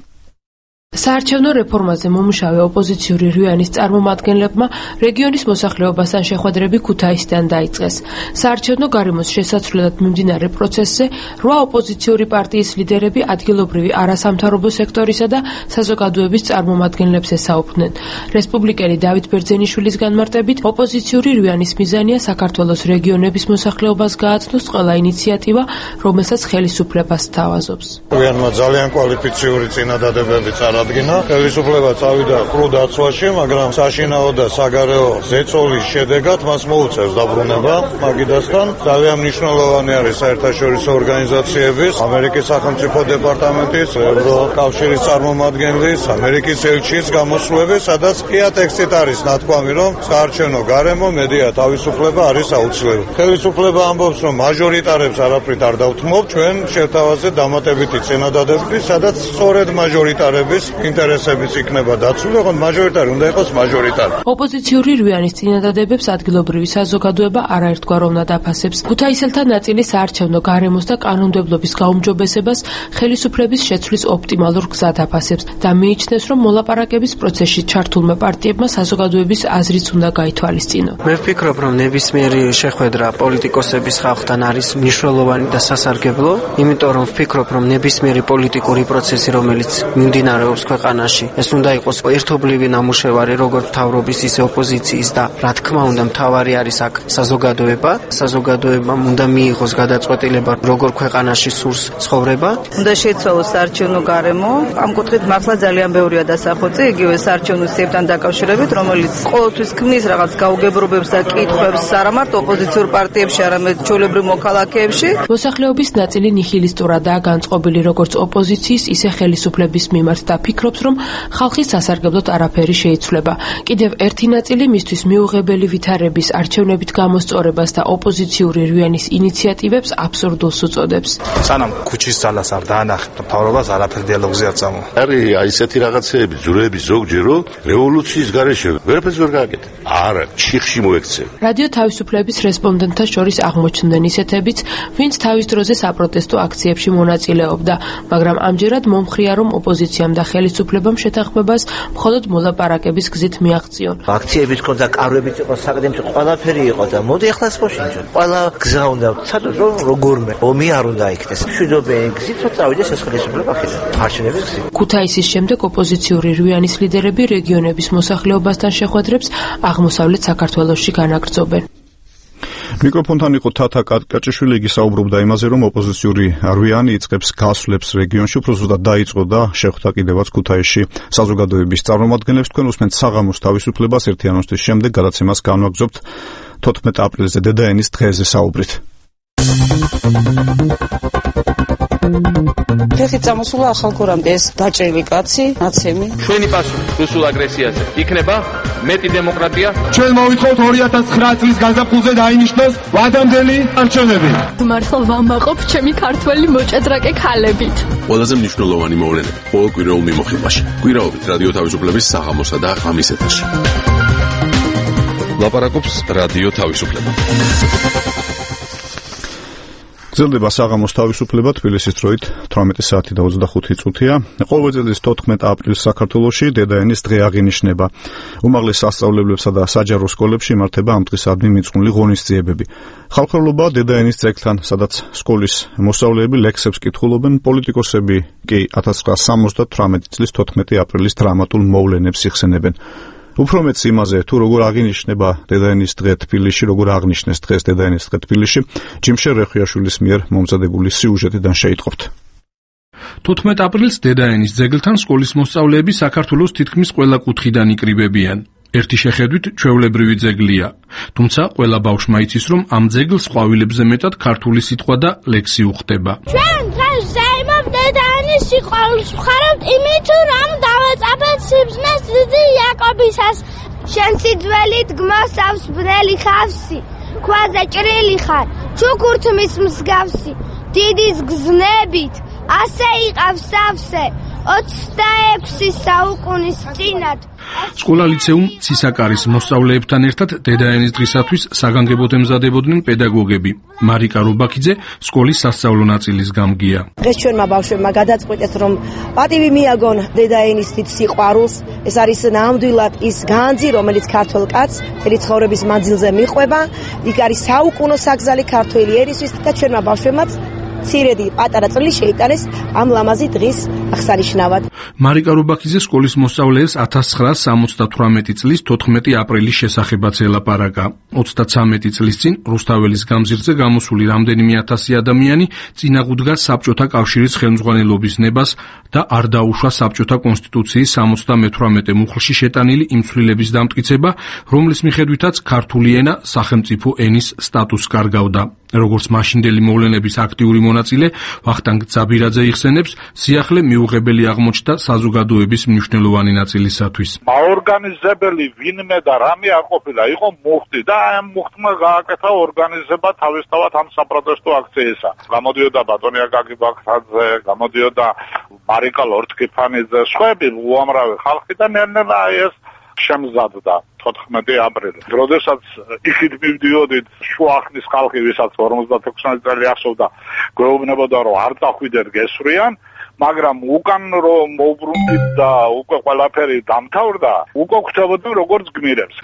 საარჩევნო რეფორმაზე მომუშავე ოპოზიციური რვიანის წარმომადგენლებმა რეგიონის მოსახლეობასთან შეხვედრები ქუთაისიდან დაიწყეს. საარჩევნო გარემოს შესაცვლელად მიმდინარე პროცესზე 8 ოპოზიციური პარტიის ლიდერები ადგილობრივი არასამთავრობო სექტორისა და საზოგადოების წარმომადგენლებს ესაუბრნენ. რესპუბლიკელი დავით ბერძენიშვილის განმარტებით, ოპოზიციური რვიანის მიზანია საქართველოს რეგიონების მოსახლეობას გააცნოს ყველა ინიციატივა, რომელსაც ხელისუფლება სთავაზობს. რვიანმა ძალიან კვალიფიციური წინადადებები აღადგინა. ხელისუფლება წავიდა კრუ დაცვაში, მაგრამ საშინაო და საგარეო ზეწოლის შედეგად მას მოუწევს დაბრუნება მაგიდასთან. ძალიან მნიშვნელოვანი არის საერთაშორისო ორგანიზაციების, ამერიკის სახელმწიფო დეპარტამენტის, ევროკავშირის წარმომადგენლის, ამერიკის ელჩის გამოსვლები, სადაც ყია ტექსტით არის ნათქვამი, რომ საარჩევნო გარემო, მედია თავისუფლება არის აუცილებელი. ხელისუფლება ამბობს, რომ მაჟორიტარებს არაფრით არ დავთმობ, ჩვენ შევთავაზეთ დამატებითი წინადადებები, სადაც სწორედ მაჟორიტარების ინტერესებიც იქნება დაცული, ოღონდ მაჟორიტარი უნდა იყოს მაჟორიტარი. ოპოზიციური რვიანის წინადადებებს ადგილობრივი საზოგადოება არაერთგვაროვნად აფასებს. ქუთაისელთა ნაწილი საარჩევნო გარემოს და კანონმდებლობის გაუმჯობესებას ხელისუფლების შეცვლის ოპტიმალურ გზად აფასებს და მიიჩნევს, რომ მოლაპარაკების პროცესში ჩართულმა პარტიებმა საზოგადოების აზრიც უნდა გაითვალისწინო. მე ვფიქრობ, რომ ნებისმიერი შეხვედრა პოლიტიკოსების ხალხთან არის მნიშვნელოვანი და სასარგებლო, იმიტომ რომ ვფიქრობ, რომ ნებისმიერი პოლიტიკური პროცესი, რომელიც მიმდინარეობს ქვეყანაში, ეს უნდა იყოს ერთობლივი ნამუშევარი, როგორც მთავრობის, ისე ოპოზიციის და რა თქმა უნდა, მთავარი არის აქ საზოგადოება. საზოგადოებამ უნდა მიიღოს გადაწყვეტილება, როგორ ქვეყანაში სურს ცხოვრება. უნდა შეცვალოს საარჩევნო გარემო. ამ კუთხით მართლა ძალიან ბევრია დასახოცი, იგივე საარჩევნო სიებთან დაკავშირებით, რომელიც ყოველთვის ქმნის რაღაც გაუგებრობებს და კითხვებს არამარტ ოპოზიციურ პარტიებში, არამედ ჩვეულებრივ მოქალაქეებში. მოსახლეობის ნაწილი ნიჰილისტურადაა განწყობილი როგორც ოპოზიციის, ისე ხელისუფლების მიმართ და ფიქრობს, რომ ხალხის სასარგებლოდ არაფერი შეიცვლება. კიდევ ერთი ნაწილი მისთვის მიუღებელი ვითარების არჩევნებით გამოსწორებას და ოპოზიციური რვიანის ინიციატივებს აბსურდულს უწოდებს. სანამ ქუჩის ძალას არ დაანახებთ, მთავრობას არაფერი დიალოგზე არ წამო. არის ისეთი რაღაცეები, ძვრები ზოგჯერ რომ რევოლუციის გარეშე ვერაფერს ვერ გააკეთე. არა, ჩიხში მოექცე. რადიო თავისუფლების რესპონდენტთა შორის აღმოჩნდნენ ისეთებიც, ვინც თავის დროზე საპროტესტო აქციებში მონაწილეობდა, მაგრამ ამჯერად მომხრია, რომ ოპოზიციამ და ხელისუფლებამ შეთანხმებას მხოლოდ მოლაპარაკების გზით მიაღწიონ. აქციების კონდა კარვებიც იყო, საკადემიო ყველაფერი იყო და მოდი ახლა სპოშინჯონ. ყველა გზა უნდა ვცადოთ, რომ როგორმე ომი არ უნდა იქნეს. მშვიდობიანი გზით წავიდეს ეს ხელისუფლება ხიდან. არჩევნების გზით. ქუთაისის შემდეგ ოპოზიციური რვიანის ლიდერები რეგიონების მოსახლეობასთან შეხვედრებს აღმოსავლეთ საქართველოში განაგრძობენ. მიკროფონთან იყო თათა კაჭიშვილი, იგი საუბრობდა იმაზე, რომ ოპოზიციური რვიანი იწყებს გასვლებს რეგიონში, უფრო ზუსტად დაიწყო და შეხვდა კიდევაც ქუთაისში საზოგადოების წარმომადგენლებს. თქვენ უსმენთ საღამოს თავისუფლებას, ერთი ანონსის შემდეგ გადაცემას განვაგრძობთ 14 აპრილზე დედაენის დღეზე საუბრით. ხეხი წამოსულა ახალგორამდე ეს დაჭრილი კაცი, ნაცემი. ჩვენი პასუხი რუსულ აგრესიაზე იქნება მეტი დემოკრატია. ჩვენ მოვითხოვთ 2009 წლის გაზაფხულზე დაინიშნოს ვადამდელი არჩევნები. მართლა ვამაყობ ჩემი ქართველი მოჭადრაკე ქალებით. ყველაზე მნიშვნელოვანი მოვლენები ყოველ კვირაულ მიმოხილვაში. კვირაობით რადიო თავისუფლების საღამოსა და ღამის ეთერში. ლაპარაკობს რადიო თავისუფლება. გრძელდება საღამოს თავისუფლება თბილისის დროით 18 საათი და 25 წუთია. ყოველ წელს 14 აპრილს საქართველოში დედაენის დღე აღინიშნება. უმაღლეს სასწავლებლებსა და საჯარო სკოლებში იმართება ამ დღისადმი მიძღვნილი ღონისძიებები. ხალხმრავლობა დედაენის ძეგლთან, სადაც სკოლის მოსწავლეები ლექსებს კითხულობენ, პოლიტიკოსები კი 1978 წლის 14 აპრილის დრამატულ მოვლენებს იხსენებენ. უფრო მეც იმაზე, თუ როგორ აღინიშნება დედაენის დღე თბილისში, როგორ აღნიშნეს დღეს დედაენის დღე თბილისში, ჯიმშერ რეხვიაშვილის მიერ მომზადებული სიუჟეტიდან შეიტყობთ. 14 აპრილს დედაენის ძეგლთან სკოლის მოსწავლეები საქართველოს თითქმის ყველა კუთხიდან იკრიბებიან. ერთი შეხედვით ჩვეულებრივი ძეგლია, თუმცა ყველა ბავშვმა იცის, რომ ამ ძეგლს ყვავილებზე მეტად ქართული სიტყვა და ლექსი უხდება. ჩვენ დღეს ზეიმობ დედაენის სიყვარულს ვხარებთ იმით, რომ დავეწაფეთ სიბზნეს დიდი იაკობისას. შენ სიძველით გმოსავს ბნელი ხავსი, ქვაზე ჭრილი ხარ, ჩუქურთმის მსგავსი, დიდის გზნებით, ასე იყავს სავსე, 26 საუკუნის წინათ. სკოლა ლიცეუმ ცისაკარის მოსწავლეებთან ერთად დედაენის დღისათვის საგანგებოდ ემზადებოდნენ პედაგოგები. მარიკა რობაქიძე სკოლის სასწავლო ნაწილის გამგია. დღეს ჩვენმა ბავშვებმა გადაწყვეტეს, რომ პატივი მიაგონ დედაენის დიდ სიყვარულს. ეს არის ნამდვილად ის განძი, რომელიც ქართველ კაცს მთელი ცხოვრების მანძილზე მიყვება. იქ არის საუკუნო საგზალი ქართველი ერისთვის და ჩვენმა ბავშვებმაც ცირედი პატარა წვლილი შეიტანეს ამ ლამაზი დღის აღსანიშნავად. მარიკა რობაქიძე სკოლის მოსწავლეებს 1978 წლის 14 აპრილის შესახებაც ელაპარაკა. 33 წლის წინ რუსთაველის გამზირზე გამოსული რამდენიმე ათასი ადამიანი წინაღუდგა საბჭოთა კავშირის ხელმძღვანელობის ნებას და არ დაუშვა საბჭოთა კონსტიტუციის 78 მუხლში შეტანილი იმ ცვლილების დამტკიცება, რომლის მიხედვითაც ქართული ენა სახელმწიფო ენის სტატუსს კარგავდა. როგორც მაშინდელი მოვლენების აქტიური მონაწილე ვახტანგ ძაბირაძე იხსენებს, სიახლე მიუღებელი აღმოჩნდა საზოგადოების მნიშვნელოვანი ნაწილისათვის. აორგანიზებელი ვინმე და რამე არ ყოფილა, იყო მუხტი და ამ მუხტმა გააკეთა ორგანიზება თავისთავად ამ საპროტესტო აქციისა. გამოდიოდა ბატონი აკაკი ბაქრაძე, გამოდიოდა მარიკა ლორთქიფანიძე, სხვები უამრავი ხალხი და ნელ-ნელა ეს შემზადდა 14 აპრილი. როდესაც იქით მივდიოდით შუახნის ხალხი, ვისაც 56 წელი ახსოვდა, გვეუბნებოდა, რომ არ წახვიდეთ გესვრიან, მაგრამ უკან რომ მოვბრუნდით და უკვე ყველაფერი დამთავრდა, უკვე გვხვდებოდნენ როგორც გმირებს.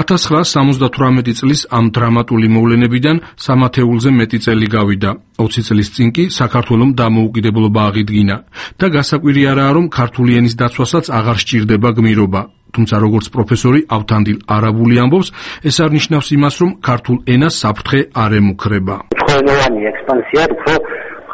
1978 წლის ამ დრამატული მოვლენებიდან სამათეულზე მეტი წელი გავიდა. 20 წლის წინ კი საქართველომ დამოუკიდებლობა აღიდგინა და გასაკვირი არაა, რომ ქართული ენის დაცვასაც აღარ სჭირდება გმირობა. თუმცა როგორც პროფესორი ავთანდილ არაბული ამბობს, ეს არ ნიშნავს იმას, რომ ქართულ ენას საფრთხე არ ემუქრება. თქვენოვანი ექსპანსია უფრო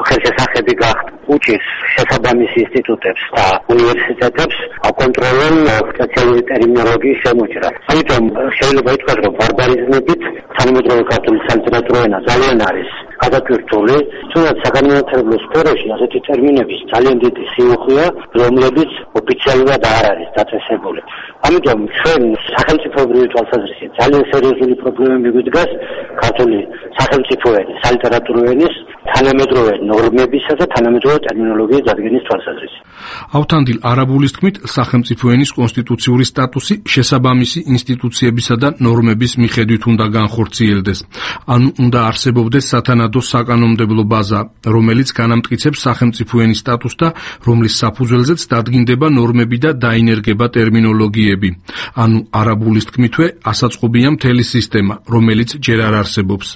ხელშესახები გახდა. უჭირს შესაბამის ინსტიტუტებს და უნივერსიტეტებს აკონტროლონ სპეციალური ტერმინოლოგიის შემოჭრა. ამიტომ შეიძლება ითქვას, რომ ბარბარიზმებით თანამედროვე ქართული სალიტერატურო ენა ძალიან არის გადატვირთული, თუნდაც საგანმანათლებლო სფეროში ასეთი ტერმინების ძალიან დიდი სიუხვეა, რომლებიც ოფიციალურად არ არის დაწესებული. ამიტომ ჩვენ სახელმწიფოებრივი თვალსაზრისით ძალიან სერიოზული პრობლემები გვიდგას ქართული სახელმწიფო ენის, სალიტერატურო ენის თანამედროვე ნორმებისა და თანამედროვე ტერმინოლოგიის დადგენის თვალსაზრისით. ავთანდილ არაბულის თქმით, სახელმწიფო ენის კონსტიტუციური სტატუსი შესაბამისი ინსტიტუციებისა და ნორმების მიხედვით უნდა განხორციელდეს. ანუ უნდა არსებობდეს სათანადო საკანონმდებლო ბაზა, რომელიც განამტკიცებს სახელმწიფო ენის სტატუსს და რომლის საფუძველზეც დადგინდება ნორმები და დაინერგება ტერმინოლოგიები. ანუ არაბულის თქმითვე, ასაწყობია მთელი სისტემა, რომელიც ჯერ არ არსებობს.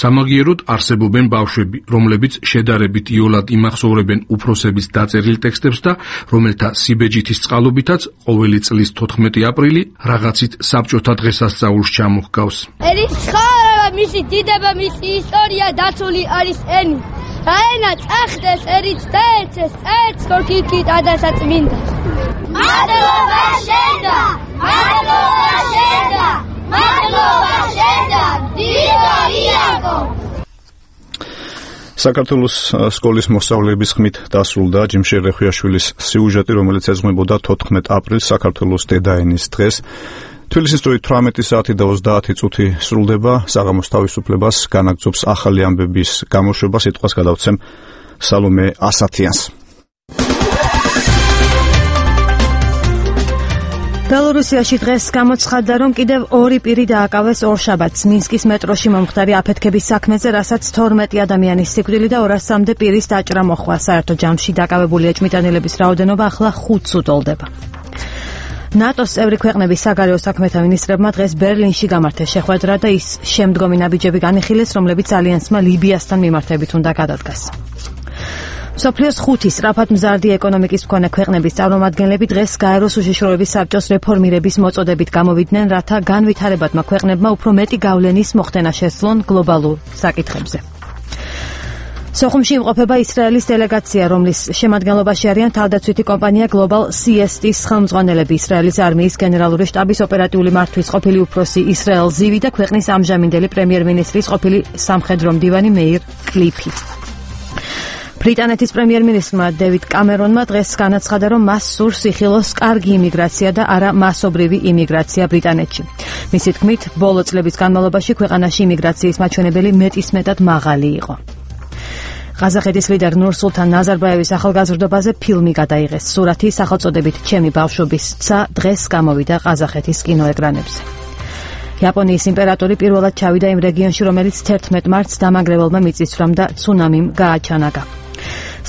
სამაგიეროდ არსებობენ ბავშვები, რომლებიც შედარებით იოლად იმახსოვრებენ უფროსების დაწერილ ტექსტებს და რომელთა სიბეჯითის წყალობითაც ყოველი წლის 14 აპრილი რაღაცით საბჭოთა დღესასწაულს ჩამოჰგავს. ერის ცხოვრება, მისი დიდება, მისი ისტორია დაცული არის ენით. და ენა წახდეს, ერიც დაეცეს, წერს თორქიკით ადასაწმინდა. მადლობა შენდა, მადლობა შენდა, მადლობა შენდა, დიდო იაკო. საქართველოს სკოლის მოსწავლეების ხმით დასრულდა ჯიმშერ რეხვიაშვილის სიუჟეტი, რომელიც ეძღვნებოდა 14 აპრილს საქართველოს დედაენის დღეს. თბილისის დროით 18 საათი და 30 წუთი სრულდება. საღამოს თავისუფლებას განაგრძობს ახალი ამბების გამოშვება. სიტყვას გადავცემ სალომე ასათიანს. ბელორუსიაში დღეს გამოცხადდა, რომ კიდევ 2 პირი დააკავეს ორშაბათს მინსკის მეტროში მომხდარი აფეთქების საქმეზე, რასაც 12 ადამიანის სიკვდილი და 200-მდე პირის დაჭრა მოხდა. საერთო ჯამში დაკავებული ეჭვმიტანილების რაოდენობა ახლა 5-ს უტოლდება. ნატოს წევრი ქვეყნების საგარეო საქმეთა მინისტრებმა დღეს ბერლინში გამართეს შეხვედრა და ის შემდგომი ნაბიჯები განიხილეს, რომლებიც ალიანსმა ლიბიასთან მიმართებით უნდა გადადგას. მსოფლიოს 5 სწრაფად მზარდი ეკონომიკის მქონე ქვეყნების წარმომადგენლები დღეს გაეროს უშიშროების საბჭოს რეფორმირების მოწოდებით გამოვიდნენ, რათა განვითარებადმა ქვეყნებმა უფრო მეტი გავლენის მოხდენა შესძლონ გლობალურ საკითხებზე. სოხუმში იმყოფება ისრაელის დელეგაცია, რომლის შემადგენლობაში არიან თავდაცვითი კომპანია Global CST-ის ხელმძღვანელები, ისრაელის არმიის გენერალური შტაბის ოპერატიული მართვის ყოფილი უფროსი ისრაელ ზივი და ქვეყნის ამჟამინდელი პრემიერ-მინისტრის ყოფილი სამხედრო მდივანი მეირ კლიფი. ბრიტანეთის პრემიერ-მინისტრმა დევიდ კამერონმა დღეს განაცხადა, რომ მას სურს იხილოს კარგი იმიგრაცია და არა მასობრივი იმიგრაცია ბრიტანეთში. მისი თქმით, ბოლო წლების განმავლობაში ქვეყანაში იმიგრაციის მაჩვენებელი მეტისმეტად მაღალი იყო. ყაზახეთის ლიდერ ნურსულთან ნაზარბაევის ახალგაზრდობაზე ფილმი გადაიღეს. სურათი სახელწოდებით ჩემი ბავშვობის ცა დღეს გამოვიდა ყაზახეთის კინოეკრანებზე. იაპონიის იმპერატორი პირველად ჩავიდა იმ რეგიონში, რომელიც 11 მარტს დამანგრეველმა მიწისძვრამ და ცუნამიმ გააჩანაგა.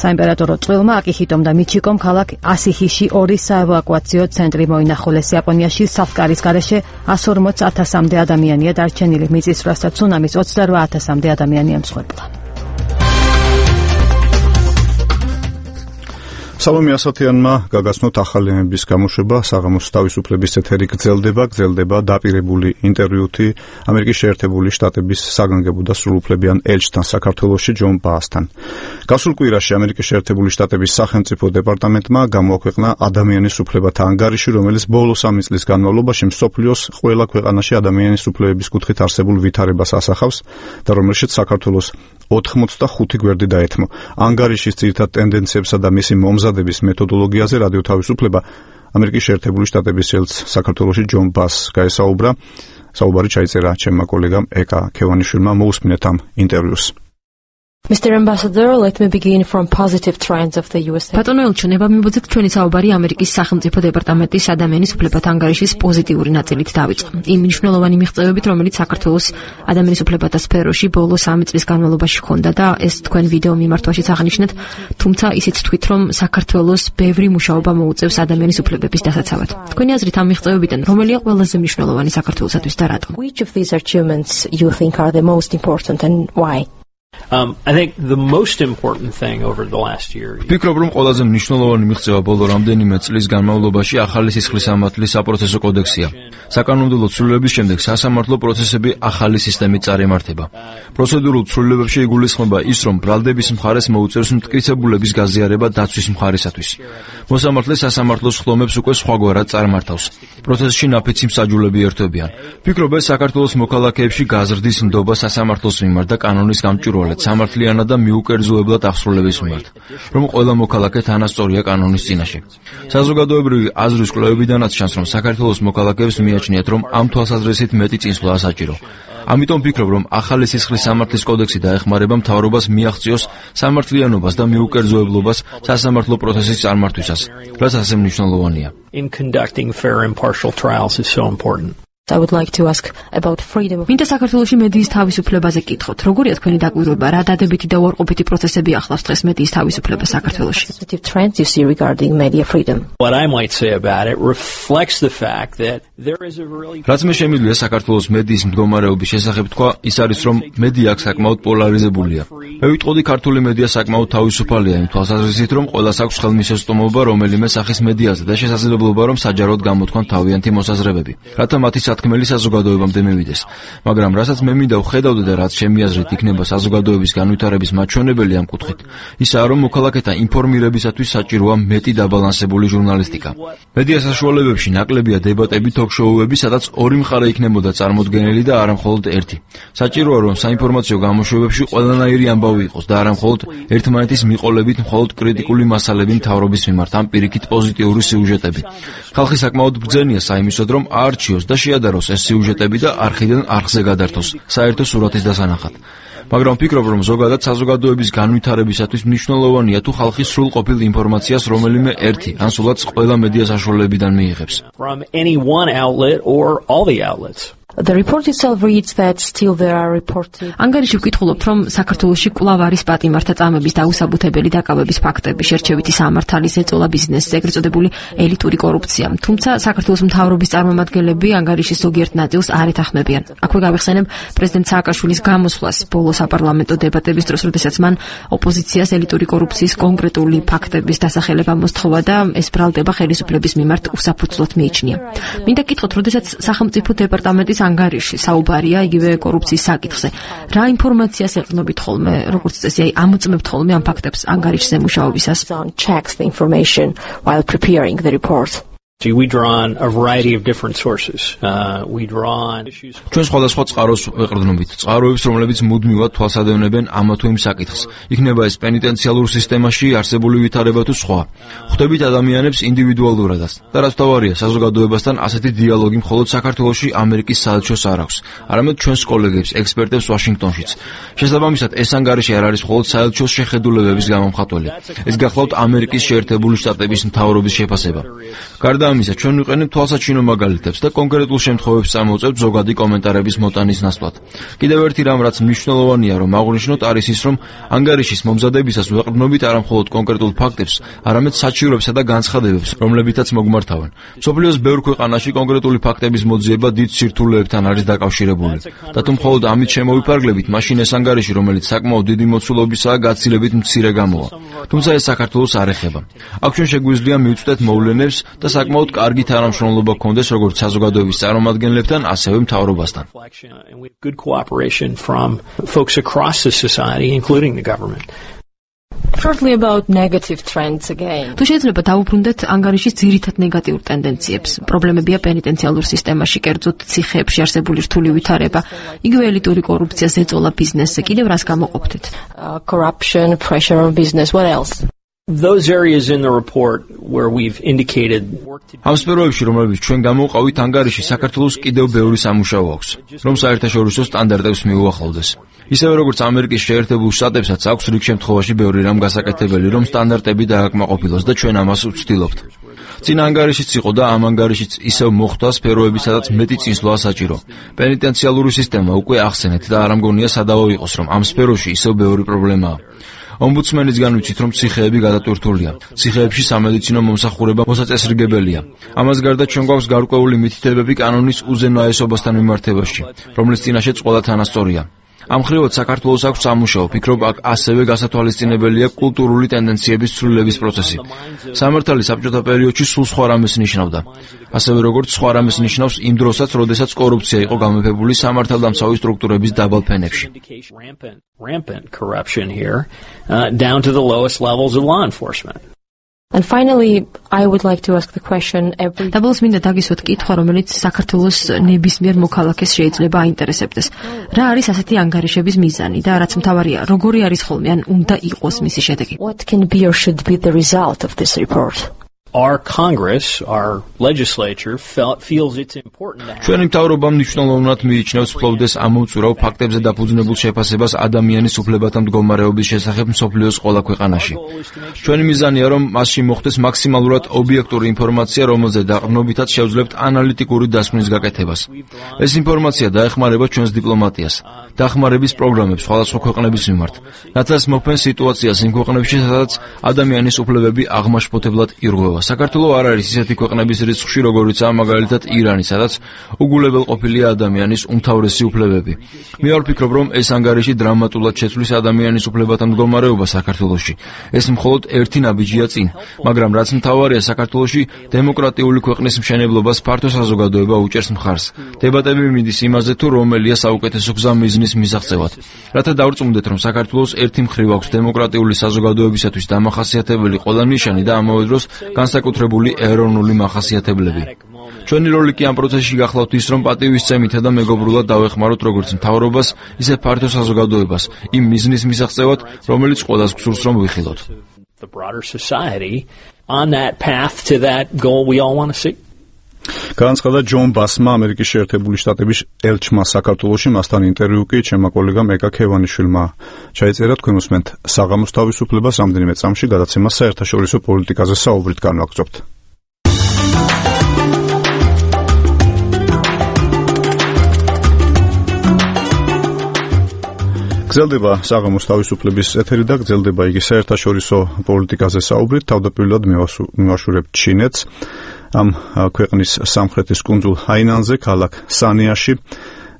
საიმპერატორო წყვილმა აკიხიტომ და მიჩიკომ ქალაქ ასიჰიში 2 საევაკუაციო ცენტრი მოინახულეს. იაპონიაში საფკარის გარეშე 140,000-მდე ადამიანია დარჩენილი. მიწისძვრას და ცუნამის 28,000-მდე ადამიანი ემსხვერპლა. სალომე ასათიანმა გაგაცნოთ ახალი ამბების გამოშვება. საღამოს თავისუფლების ეთერი გრძელდება დაპირებული ინტერვიუთი ამერიკის შეერთებული შტატების საგანგებო და სრულუფლებიან ელჩთან საქართველოში ჯონ ბაასთან. გასულ კვირაში ამერიკის შეერთებული შტატების სახელმწიფო დეპარტამენტმა გამოაქვეყნა ადამიანის უფლებათა ანგარიში, რომელიც ბოლო 3 წლის განმავლობაში მსოფლიოს ყველა ქვეყანაში ადამიანის უფლებების კუთხით არსებულ ვითარებას ასახავს და რომელშიც საქართველოს 85 გვერდი დაეთმო. ანგარიშის ძირითად ტენდენციებსა და მისი მომზადების მეთოდოლოგიაზე რადიო თავისუფლება ამერიკის შეერთებული შტატების ელჩს საქართველოში ჯონ ბაასს გაესაუბრა. საუბარი ჩაიწერა ჩემმა კოლეგამ ეკა ქევანიშვილმა. მოусმინეთ ამ ინტერვიუს. Mr. Ambassador, let me begin from positive trends of the USA. ბატონო ელჩო, ნებამიბოძეთ ჩვენი საუბარი ამერიკის სახელმწიფო დეპარტამენტის ადამიანის უფლებათა ანგარიშის პოზიტიური ნაწილით დავიწყო. იმ მნიშვნელოვანი მიღწევებით, რომელიც საქართველოს ადამიანის უფლებათა სფეროში ბოლო 3 წლის განმავლობაში ჰქონდა და ეს თქვენ ვიდეო მიმართვაშიც აღნიშნეთ, თუმცა ისიც თქვით, რომ საქართველოს ბევრი მუშაობა მოუწევს ადამიანის უფლებების დასაცავად. თქვენი აზრით ამ მიღწევებიდან რომელია ყველაზე მნიშვნელოვანი საქართველოსათვის და რატომ? Which of these achievements you think are the most important and why? I think the most important thing over the last year. ფიქრობ, რომ ყველაზე მნიშვნელოვანი მიღწევა ბოლო რამდენიმე წლის განმავლობაში ახალი სისხლის სამართლის საპროცესო კოდექსია. საკანონმდებლო ცვლილებების შემდეგ სასამართლო პროცესები ახალი სისტემით წარიმართება. პროცედურულ ცვლილებებში იგულისხმება ის, რომ ბრალდების მხარეს მოუწევს მტკიცებულების გაზიარება დაცვის მხარესათვის. მოსამართლე სასამართლოს ხდომებს უკვე სხვაგვარად წარმართავს. პროცესში ნაფიცი მსაჯულები ერთვებიან. ფიქრობ, ეს საქართველოს მოქალაქეებში გაზრდის ნდობა სასამართლოს მიმართ და კანონის გამჭვირვალეც. სამართლიანად და მიუკერძოებლად აღსრულების მიმართ, რომ ყველა მოქალაქე თანასწორია კანონის წინაშე. საზოგადოებრივი აზრის კვლევებიდანაც ჩანს, რომ საქართველოს მოქალაქეებს მიაჩნიათ, რომ ამ თვალსაზრისით მეტი წინსვლა საჭირო. ამიტომ ვფიქრობ, რომ ახალი სისხლის სამართლის კოდექსი დაეხმარება მთავრობას მიაღწიოს სამართლიანობას და მიუკერძოებლობას სასამართლო პროცესის წარმართვისას, რაც ასე მნიშვნელოვანია. In conducting fair impartial trials is so important. I would like to ask about freedom. მინდა საქართველოში მედიის თავისუფლებაზე კითხოთ. როგორია თქვენი დაკვირვება, რა დადებითი და უარყოფითი პროცესები ახლავს დღეს მედიის თავისუფლებას საქართველოში? Positive trends you see regarding media freedom. What I might say about it reflects the fact that there is a really რაც მე შემიძლია საქართველოს მედიის მდგომარეობის შესახებ თქვა, ის არის, რომ მედია აქ საკმაოდ პოლარიზებულია. მე ვიტყოდი, ქართული მედია საკმაოდ თავისუფალია იმ თვალსაზრისით, რომ ყველას აქვს ხელმისაწვდომობა რომელიმე სახის მედიაზე და შესაძლებლობა, რომ საჯაროდ გამოთქვან თავიანთი მოსაზრებები, რათა მათი სათქმელი საზოგადოებამდე მივიდეს. მაგრამ რასაც მე მინდა ვხედავდე და რაც ჩემი აზრით იქნება საზოგადოების განვითარების მაჩვენებელი ამ კუთხით, ისაა, რომ მოქალაქეთა ინფორმირებისათვის საჭიროა მეტი დაბალანსებული ჟურნალისტიკა. მედია საშუალებებში ნაკლებია დებატები, თოქ-შოუები, სადაც ორი მხარე იქნებოდა წარმოდგენილი და არა მხოლოდ ერთი. საჭიროა, რომ საინფორმაციო გამოშვებებში ყველანაირი ამბავი იყოს და არა მხოლოდ ერთმანეთის მიყოლებით მხოლოდ კრიტიკული მასალები მთავრობის მიმართ, ამ პირიქით პოზიტიური სიუჟეტები. ხალხი საკმაოდ ბრძენია საიმისოდ, რომ აარჩიოს და შეადაროს ეს სიუჟეტები და არხიდან არხზე გადართოს საერთო სურათის დასანახად. მაგრამ ვფიქრობ, რომ ზოგადად საზოგადოების განვითარებისათვის მნიშვნელოვანია თუ ხალხი სრულყოფილ ინფორმაციას რომელიმე ერთი ან სულაც ყველა მედია საშუალებიდან მიიღებს. From any one outlet or all the outlets. The report itself reads that still there are reported. ანგარიში ვკითხულობთ, რომ საქართველოში კვლავ არის პატიმართა წამების დაუსაბუთებელი დაკავების ფაქტები, შერჩევითი სამართალის ეწოლა ბიზნესზე, ეგრეთ წოდებული ელიტური კორუფცია. თუმცა საქართველოს მთავრობის წარმომადგენლები ანგარიშის ზოგიერთ ნაწილს არ ეთანხმებიან. აქვე გავიხსენებ პრეზიდენტ სააკაშვილის გამოსვლას ბოლო საპარლამენტო დებატების დროს, როდესაც მან ოპოზიციას ელიტური კორუფციის კონკრეტული ფაქტების დასახელება მოსთხოვა და ეს ბრალდება ხელისუფლების მიმართ უსაფუძვლოდ მიიჩნია. მინდა გკითხოთ, როდესაც სახელმწიფო დეპარტამენტის ანგარიში საუბარია იგივე კორუფციის საკითხზე. რა ინფორმაციას ეყრდნობით ხოლმე, როგორც წესი, ამოწმებთ ხოლმე ამ ფაქტებს ანგარიშზე მუშაობისას? Checks the information while preparing the report. We draw on a variety of different sources. We draw on issues. ჩვენ სხვადასხვა წყაროს ვეყრდნობით, წყაროებს, რომლებიც მუდმივად თვალსადევნებენ ამა თუ იმ საკითხს. იქნება ეს პენიტენციალურ სისტემაში არსებული ვითარება თუ სხვა. ხვდებით ადამიანებს ინდივიდუალურადაც. და რაც თავარია, საზოგადოებასთან ასეთი დიალოგი მხოლოდ საქართველოში ამერიკის საელჩოს არ აქვს, არამედ ჩვენს კოლეგებს, ექსპერტებს ვაშინგტონშიც. შესაბამისად, ეს ანგარიში არ არის მხოლოდ საელჩოს შეხედულებების გამომხატველი. ეს გახლავთ ამერიკის შეერთებული შტატების მთავრობის შეფასება. გარდა ამისა, ჩვენ ვიყენებთ თვალსაჩინო მაგალითებს და კონკრეტულ შემთხვევებს წამოვწევთ ზოგადი კომენტარების მოტანის ნაცვლად. კიდევ ერთი რამ, რაც მნიშვნელოვანია, რომ აღვნიშნოთ, არის ის, რომ ანგარიშის მომზადებისას ვეყრდნობით არა მხოლოდ კონკრეტულ ფაქტებს, არამედ საჭიროებსა და განცხადებებს, რომლებითაც მოგმართავენ. მსოფლიოს ბევრ ქვეყანაში კონკრეტული ფაქტების მოძიება დიდ სირთულეებთან არის დაკავშირებული. და თუ მხოლოდ ამით შემოვიფარგლებით, მაშინ ეს ანგარიში, რომელიც საკმაოდ დიდი მოცულობისაა, გაცილებით მცირე გამოვა. თუმცა ეს საქართველოს არ ეხება. აქ ჩვენ შეგვიძლია მივწვდეთ მოვლენებს და საკმაოდ კარგი თანამშრომლობა გქონდეს როგორც საზოგადოების წარმომადგენლებთან, ასევე მთავრობასთან. Good cooperation from folks across the society, including the government. Shortly about negative trends again. თუ შეიძლება დავუბრუნდეთ ანგარიშის ძირითად ნეგატიურ ტენდენციებს. პრობლემებია პენიტენციალურ სისტემაში, კერძოდ ციხეებში არსებული რთული ვითარება, იგივე ელიტური კორუფცია, ზეწოლა ბიზნესზე. კიდევ რას გამოყოფთით? Corruption, pressure on business. What else? Those areas in the report where we've indicated ამ სფეროებში, რომლებიც ჩვენ გამოვყავით ანგარიში, საქართველოს კიდევ ბევრი სამუშაო აქვს, რომ საერთაშორისო სტანდარტებს მიუახლოვდეს. ისევე როგორც ამერიკის შეერთებულ შტატებსაც აქვს რიგ შემთხვევაში ბევრი რამ გასაკეთებელი, რომ სტანდარტები დააკმაყოფილოს და ჩვენ ამას ვცდილობთ. წინა ანგარიშიც იყო და ამ ანგარიშიც ისევ მოხვდა სფეროები, სადაც მეტი წინსვლა საჭირო. პენიტენციალური სისტემა უკვე ახსენეთ და არ ამგონია სადავო იყოს, რომ ამ სფეროში ისევ ბევრი პრობლემაა. ომბუდსმენისგან ვიცით, რომ ციხეები გადატვირთულია. ციხეებში სამედიცინო მომსახურება მოსაწესრიგებელია. ამას გარდა ჩვენ გვაქვს გარკვეული მითითებები კანონის უზენაესობასთან მიმართებაში, რომლის წინაშეც ყველა თანასწორია. ამ ხრივად საქართველოს აქვს სამუშაო, ვფიქრობ, აქ ასევე გასათვალისწინებელია კულტურული ტენდენციების ცვლილების პროცესი. სამართალი საბჭოთა პერიოდში სულ სხვა რამეს ნიშნავდა. ასევე როგორც სხვა რამეს ნიშნავს იმ დროსაც, როდესაც კორუფცია იყო გამეფებული სამართალდამცავი სტრუქტურების დაბალ ფენებში. Rampant corruption here, down to the lowest levels of law enforcement. And finally, I would like to ask the question Doubles მინდა დაგისვათ კითხვა, რომელიც საქართველოს ნებისმიერ მოქალაქეს შეიძლება აინტერესებდეს. რა არის ასეთი ანგარიშების მიზანი და რაც მთავარია, როგორი არის ხოლმე ან უნდა იყოს მისი შედეგი? What can be or should be the result of this report? Our Congress, our legislature feels it's important to have. ჩვენი მთავრობა მნიშვნელოვნად მიიჩნევს ფლობდეს ამოუწურავ ფაქტებზე დაფუძნებულ შეფასებას ადამიანის უფლებათა მდგომარეობის შესახებ მსოფლიოს ყველა ქვეყანაში. ჩვენი მიზანია, რომ მასში მოხდეს მაქსიმალურად ობიექტური ინფორმაცია, რომელზე დაყრდნობითაც შევძლებთ ანალიტიკური დასკვნის გაკეთებას. ეს ინფორმაცია დაეხმარება ჩვენს დიპლომატიას, დახმარების პროგრამებს სხვადასხვა ქვეყნების მიმართ, რაცაც მოქმედ სიტუაციას იმ ქვეყნებში, სადაც ადამიანის უფლებები აღმაშფოთებლად ირღვევა. საქართველოს არ არის ისეთი ქვეყნების რიცხვში, როგორიცაა მაგალითად ირანი, სადაც უგულებელყოფილია ადამიანის უმთავრესი უფლებები. მე არ ვფიქრობ, რომ ეს ანგარიში დრამატულად შეცვლის ადამიანის უფლებათა მდგომარეობა საქართველოში. ეს მხოლოდ ერთი ნაბიჯია წინ, მაგრამ რაც მთავარია, საქართველოში დემოკრატიული ქვეყნის მშენებლობას ფართო საზოგადოება უჭერს მხარს. დებატები მიდის იმაზე, თუ რომელია საუკეთესო გზა მიზნის მისაღწევად. რათა დავრწმუნდეთ, რომ საქართველოს ერთი მხრივ აქვს დემოკრატიული საზოგადოებისათვის დამახასიათებელი ყველა ნიშანი და ამავე დროს განსაკუთრებული ეროვნული მახასიათებლები. ჩვენი როლი კი ამ პროცესში გახლავთ ის, რომ პატივისცემითა და მეგობრულად დავეხმაროთ როგორც მთავრობას, ისე ფართო საზოგადოებას იმ მიზნის მისაღწევად, რომელიც ყველას გსურს რომ ვიხილოთ. The broader society on that path to that goal we all want to see. განაცხადა ჯონ ბასმა, ამერიკის შეერთებული შტატების ელჩმა საქართველოში, მასთან ინტერვიუ კი ჩემმა კოლეგამ ეკა ქევანიშვილმა ჩაიწერა. თქვენ უსმენთ საღამოს თავისუფლებას, რამდენიმე წამში გადაცემა საერთაშორისო პოლიტიკაზე საუბრით განვაგრძობთ. გრძელდება საღამოს თავისუფლების ეთერი და გრძელდება იგი საერთაშორისო პოლიტიკაზე საუბრით. თავდაპირველად მივაშურებ ჩინეთს. ამ ქვეყნის სამხრეთის კუნძულ ჰაინანზე, ქალაქ სანიაში,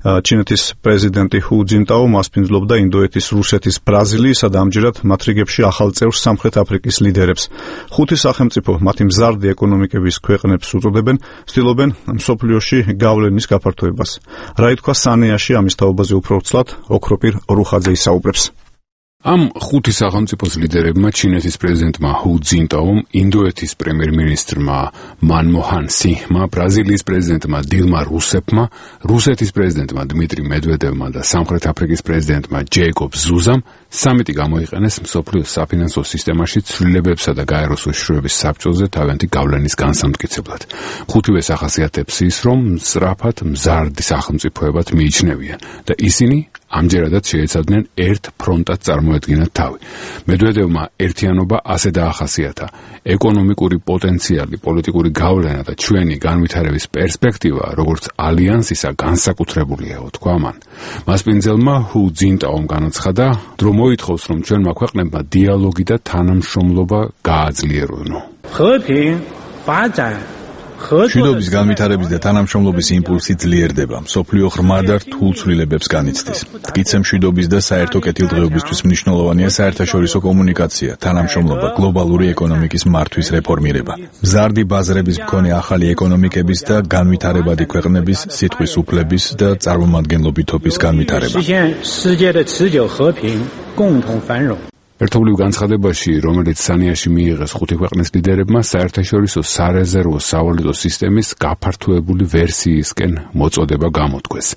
ჩინეთის პრეზიდენტი ჰუ ძინტაო მასპინძლობდა ინდოეთის, რუსეთის, ბრაზილიისა და ამჯერად მათ რიგებში ახალ წევრ სამხრეთ აფრიკის ლიდერებს. ხუთი სახელმწიფო მათი მზარდი ეკონომიკების ქვეყნებს უწოდებენ, ცდილობენ მსოფლიოში გავლენის გაფართოებას. რა ითქვა სანიაში, ამის თაობაზე უფრო ვრცლად ოქროპირ რუხაძე ისაუბრებს. ამ ხუთი სახელმწიფოს ლიდერებმა ჩინეთის პრეზიდენტმა ჰუ ძინტაომ, ინდოეთის პრემიერ-მინისტრმა მანმოჰან სინჰმა, ბრაზილიის პრეზიდენტმა დილმა რუსეფმა, რუსეთის პრეზიდენტმა დმიტრი მედვედევმა და სამხრეთ აფრიკის პრეზიდენტმა ჯეიკობ ზუზამ სამიტი გამოიყენეს მსოფლიოს საფინანსო სისტემაში ცვლილებებსა და გაეროს უშიშროების საბჭოზე თავიანთი გავლენის განსამტკიცებლად. ხუთივეს ახასიათებს ის, რომ სწრაფად მზარდი სახელმწიფოებად მიიჩნევიან და ისინი ამჯერადაც შეეცადნენ ერთ ფრონტად წარმოედგინათ თავი. მედვედევმა ერთიანობა ასე დაახასიათა: ეკონომიკური პოტენციალი, პოლიტიკური გავლენა და ჩვენი განვითარების პერსპექტივა, როგორც ალიანსისა, განსაკუთრებულია, თქვა მან. მასპინძელმა ჰუ ძინტაომ განაცხადა, რომ მოითხოვს, რომ ჩვენმა ქვეყნებმა დიალოგი და თანამშრომლობა გააძლიერონო. მშვიდობის განვითარების და თანამშრომლობის იმპულსი ძლიერდება, მსოფლიო ღრმა და რთულ ცვლილებებს განიცდის. მტკიცე მშვიდობის და საერთო კეთილდღეობისთვის მნიშვნელოვანია საერთაშორისო კომუნიკაცია, თანამშრომლობა, გლობალური ეკონომიკის მართვის რეფორმირება, მზარდი ბაზრების მქონე ახალი ეკონომიკების და განვითარებადი ქვეყნების სიტყვის უფლების და წარმომადგენლობითობის განვითარება. ერთობლივ განცხადებაში, რომელიც სანიაში მიიღეს ხუთი ქვეყნის ლიდერებმა, საერთაშორისო სარეზერვო სავალუტო სისტემის გაფართოებული ვერსიისკენ მოწოდება გამოთქვეს.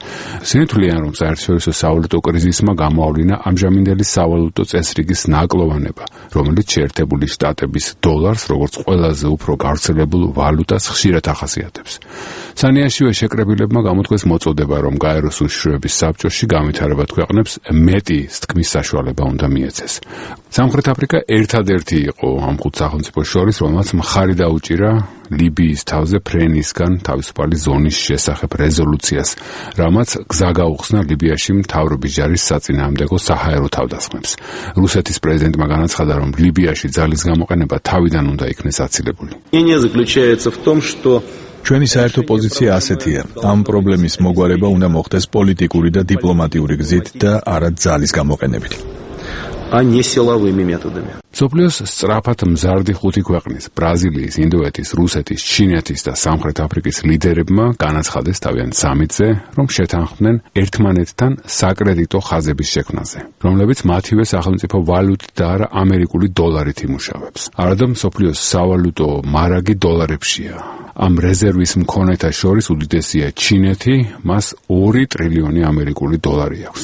სინთლიან, რომ საერთაშორისო სავალუტო კრიზისმა გამოავლინა ამჟამინდელი სავალუტო წესრიგის ნაკლოვანება, რომელიც შეერთებული შტატების დოლარს, როგორც ყველაზე უფრო გავრცელებულ ვალუტას ხშირად ახასიათებს. სანიაშივე შეკრებილებმა გამოთქვეს მოწოდება, რომ გაეროს უშიშროების საბჭოში განვითარებად ქვეყნებს მეტი თქმის საშუალება უნდა მიეცეს. სამხრეთ აფრიკა ერთადერთი იყო ამ ხუთ სახელმწიფოს შორის, რომელმაც მხარი დაუჭირა ლიბიის თავზე ფრენისგან თავისუფალი ზონის შესახებ რეზოლუციას, რამაც გზა გაუხსნა ლიბიაში მთავრობის ჯარის საწინააღმდეგო საჰაერო თავდასხმებს. რუსეთის პრეზიდენტმა განაცხადა, რომ ლიბიაში ძალის გამოყენება თავიდან უნდა იქნეს აცილებული. ჩვენი საერთო პოზიცია ასეთია: ამ პრობლემის მოგვარება უნდა მოხდეს პოლიტიკური და დიპლომატიური გზით და არა ძალის გამოყენებით. а не силовыми методами. სოფლიოს სწრაფად მზარდი 5 ქვეყნის ბრაზილიის, ინდოეთის, რუსეთის, ჩინეთის და სამხრეთ აფრიკის ლიდერებმა განაცხადეს თავიანთ სამიტზე, რომ შეთანხმდნენ ერთმანეთთან საკრედიტო ხაზების შექმნაზე, რომლებიც მათივე სახელმწიფო ვალუტით და არა ამერიკული დოლარით იმუშავებს. არადა სოფლიოს სავალუტო მარაგი დოლარებშია. ამ რეზერვის მქონეთა შორის უდიდესია ჩინეთი, მას 2 ტრილიონი ამერიკული დოლარი აქვს.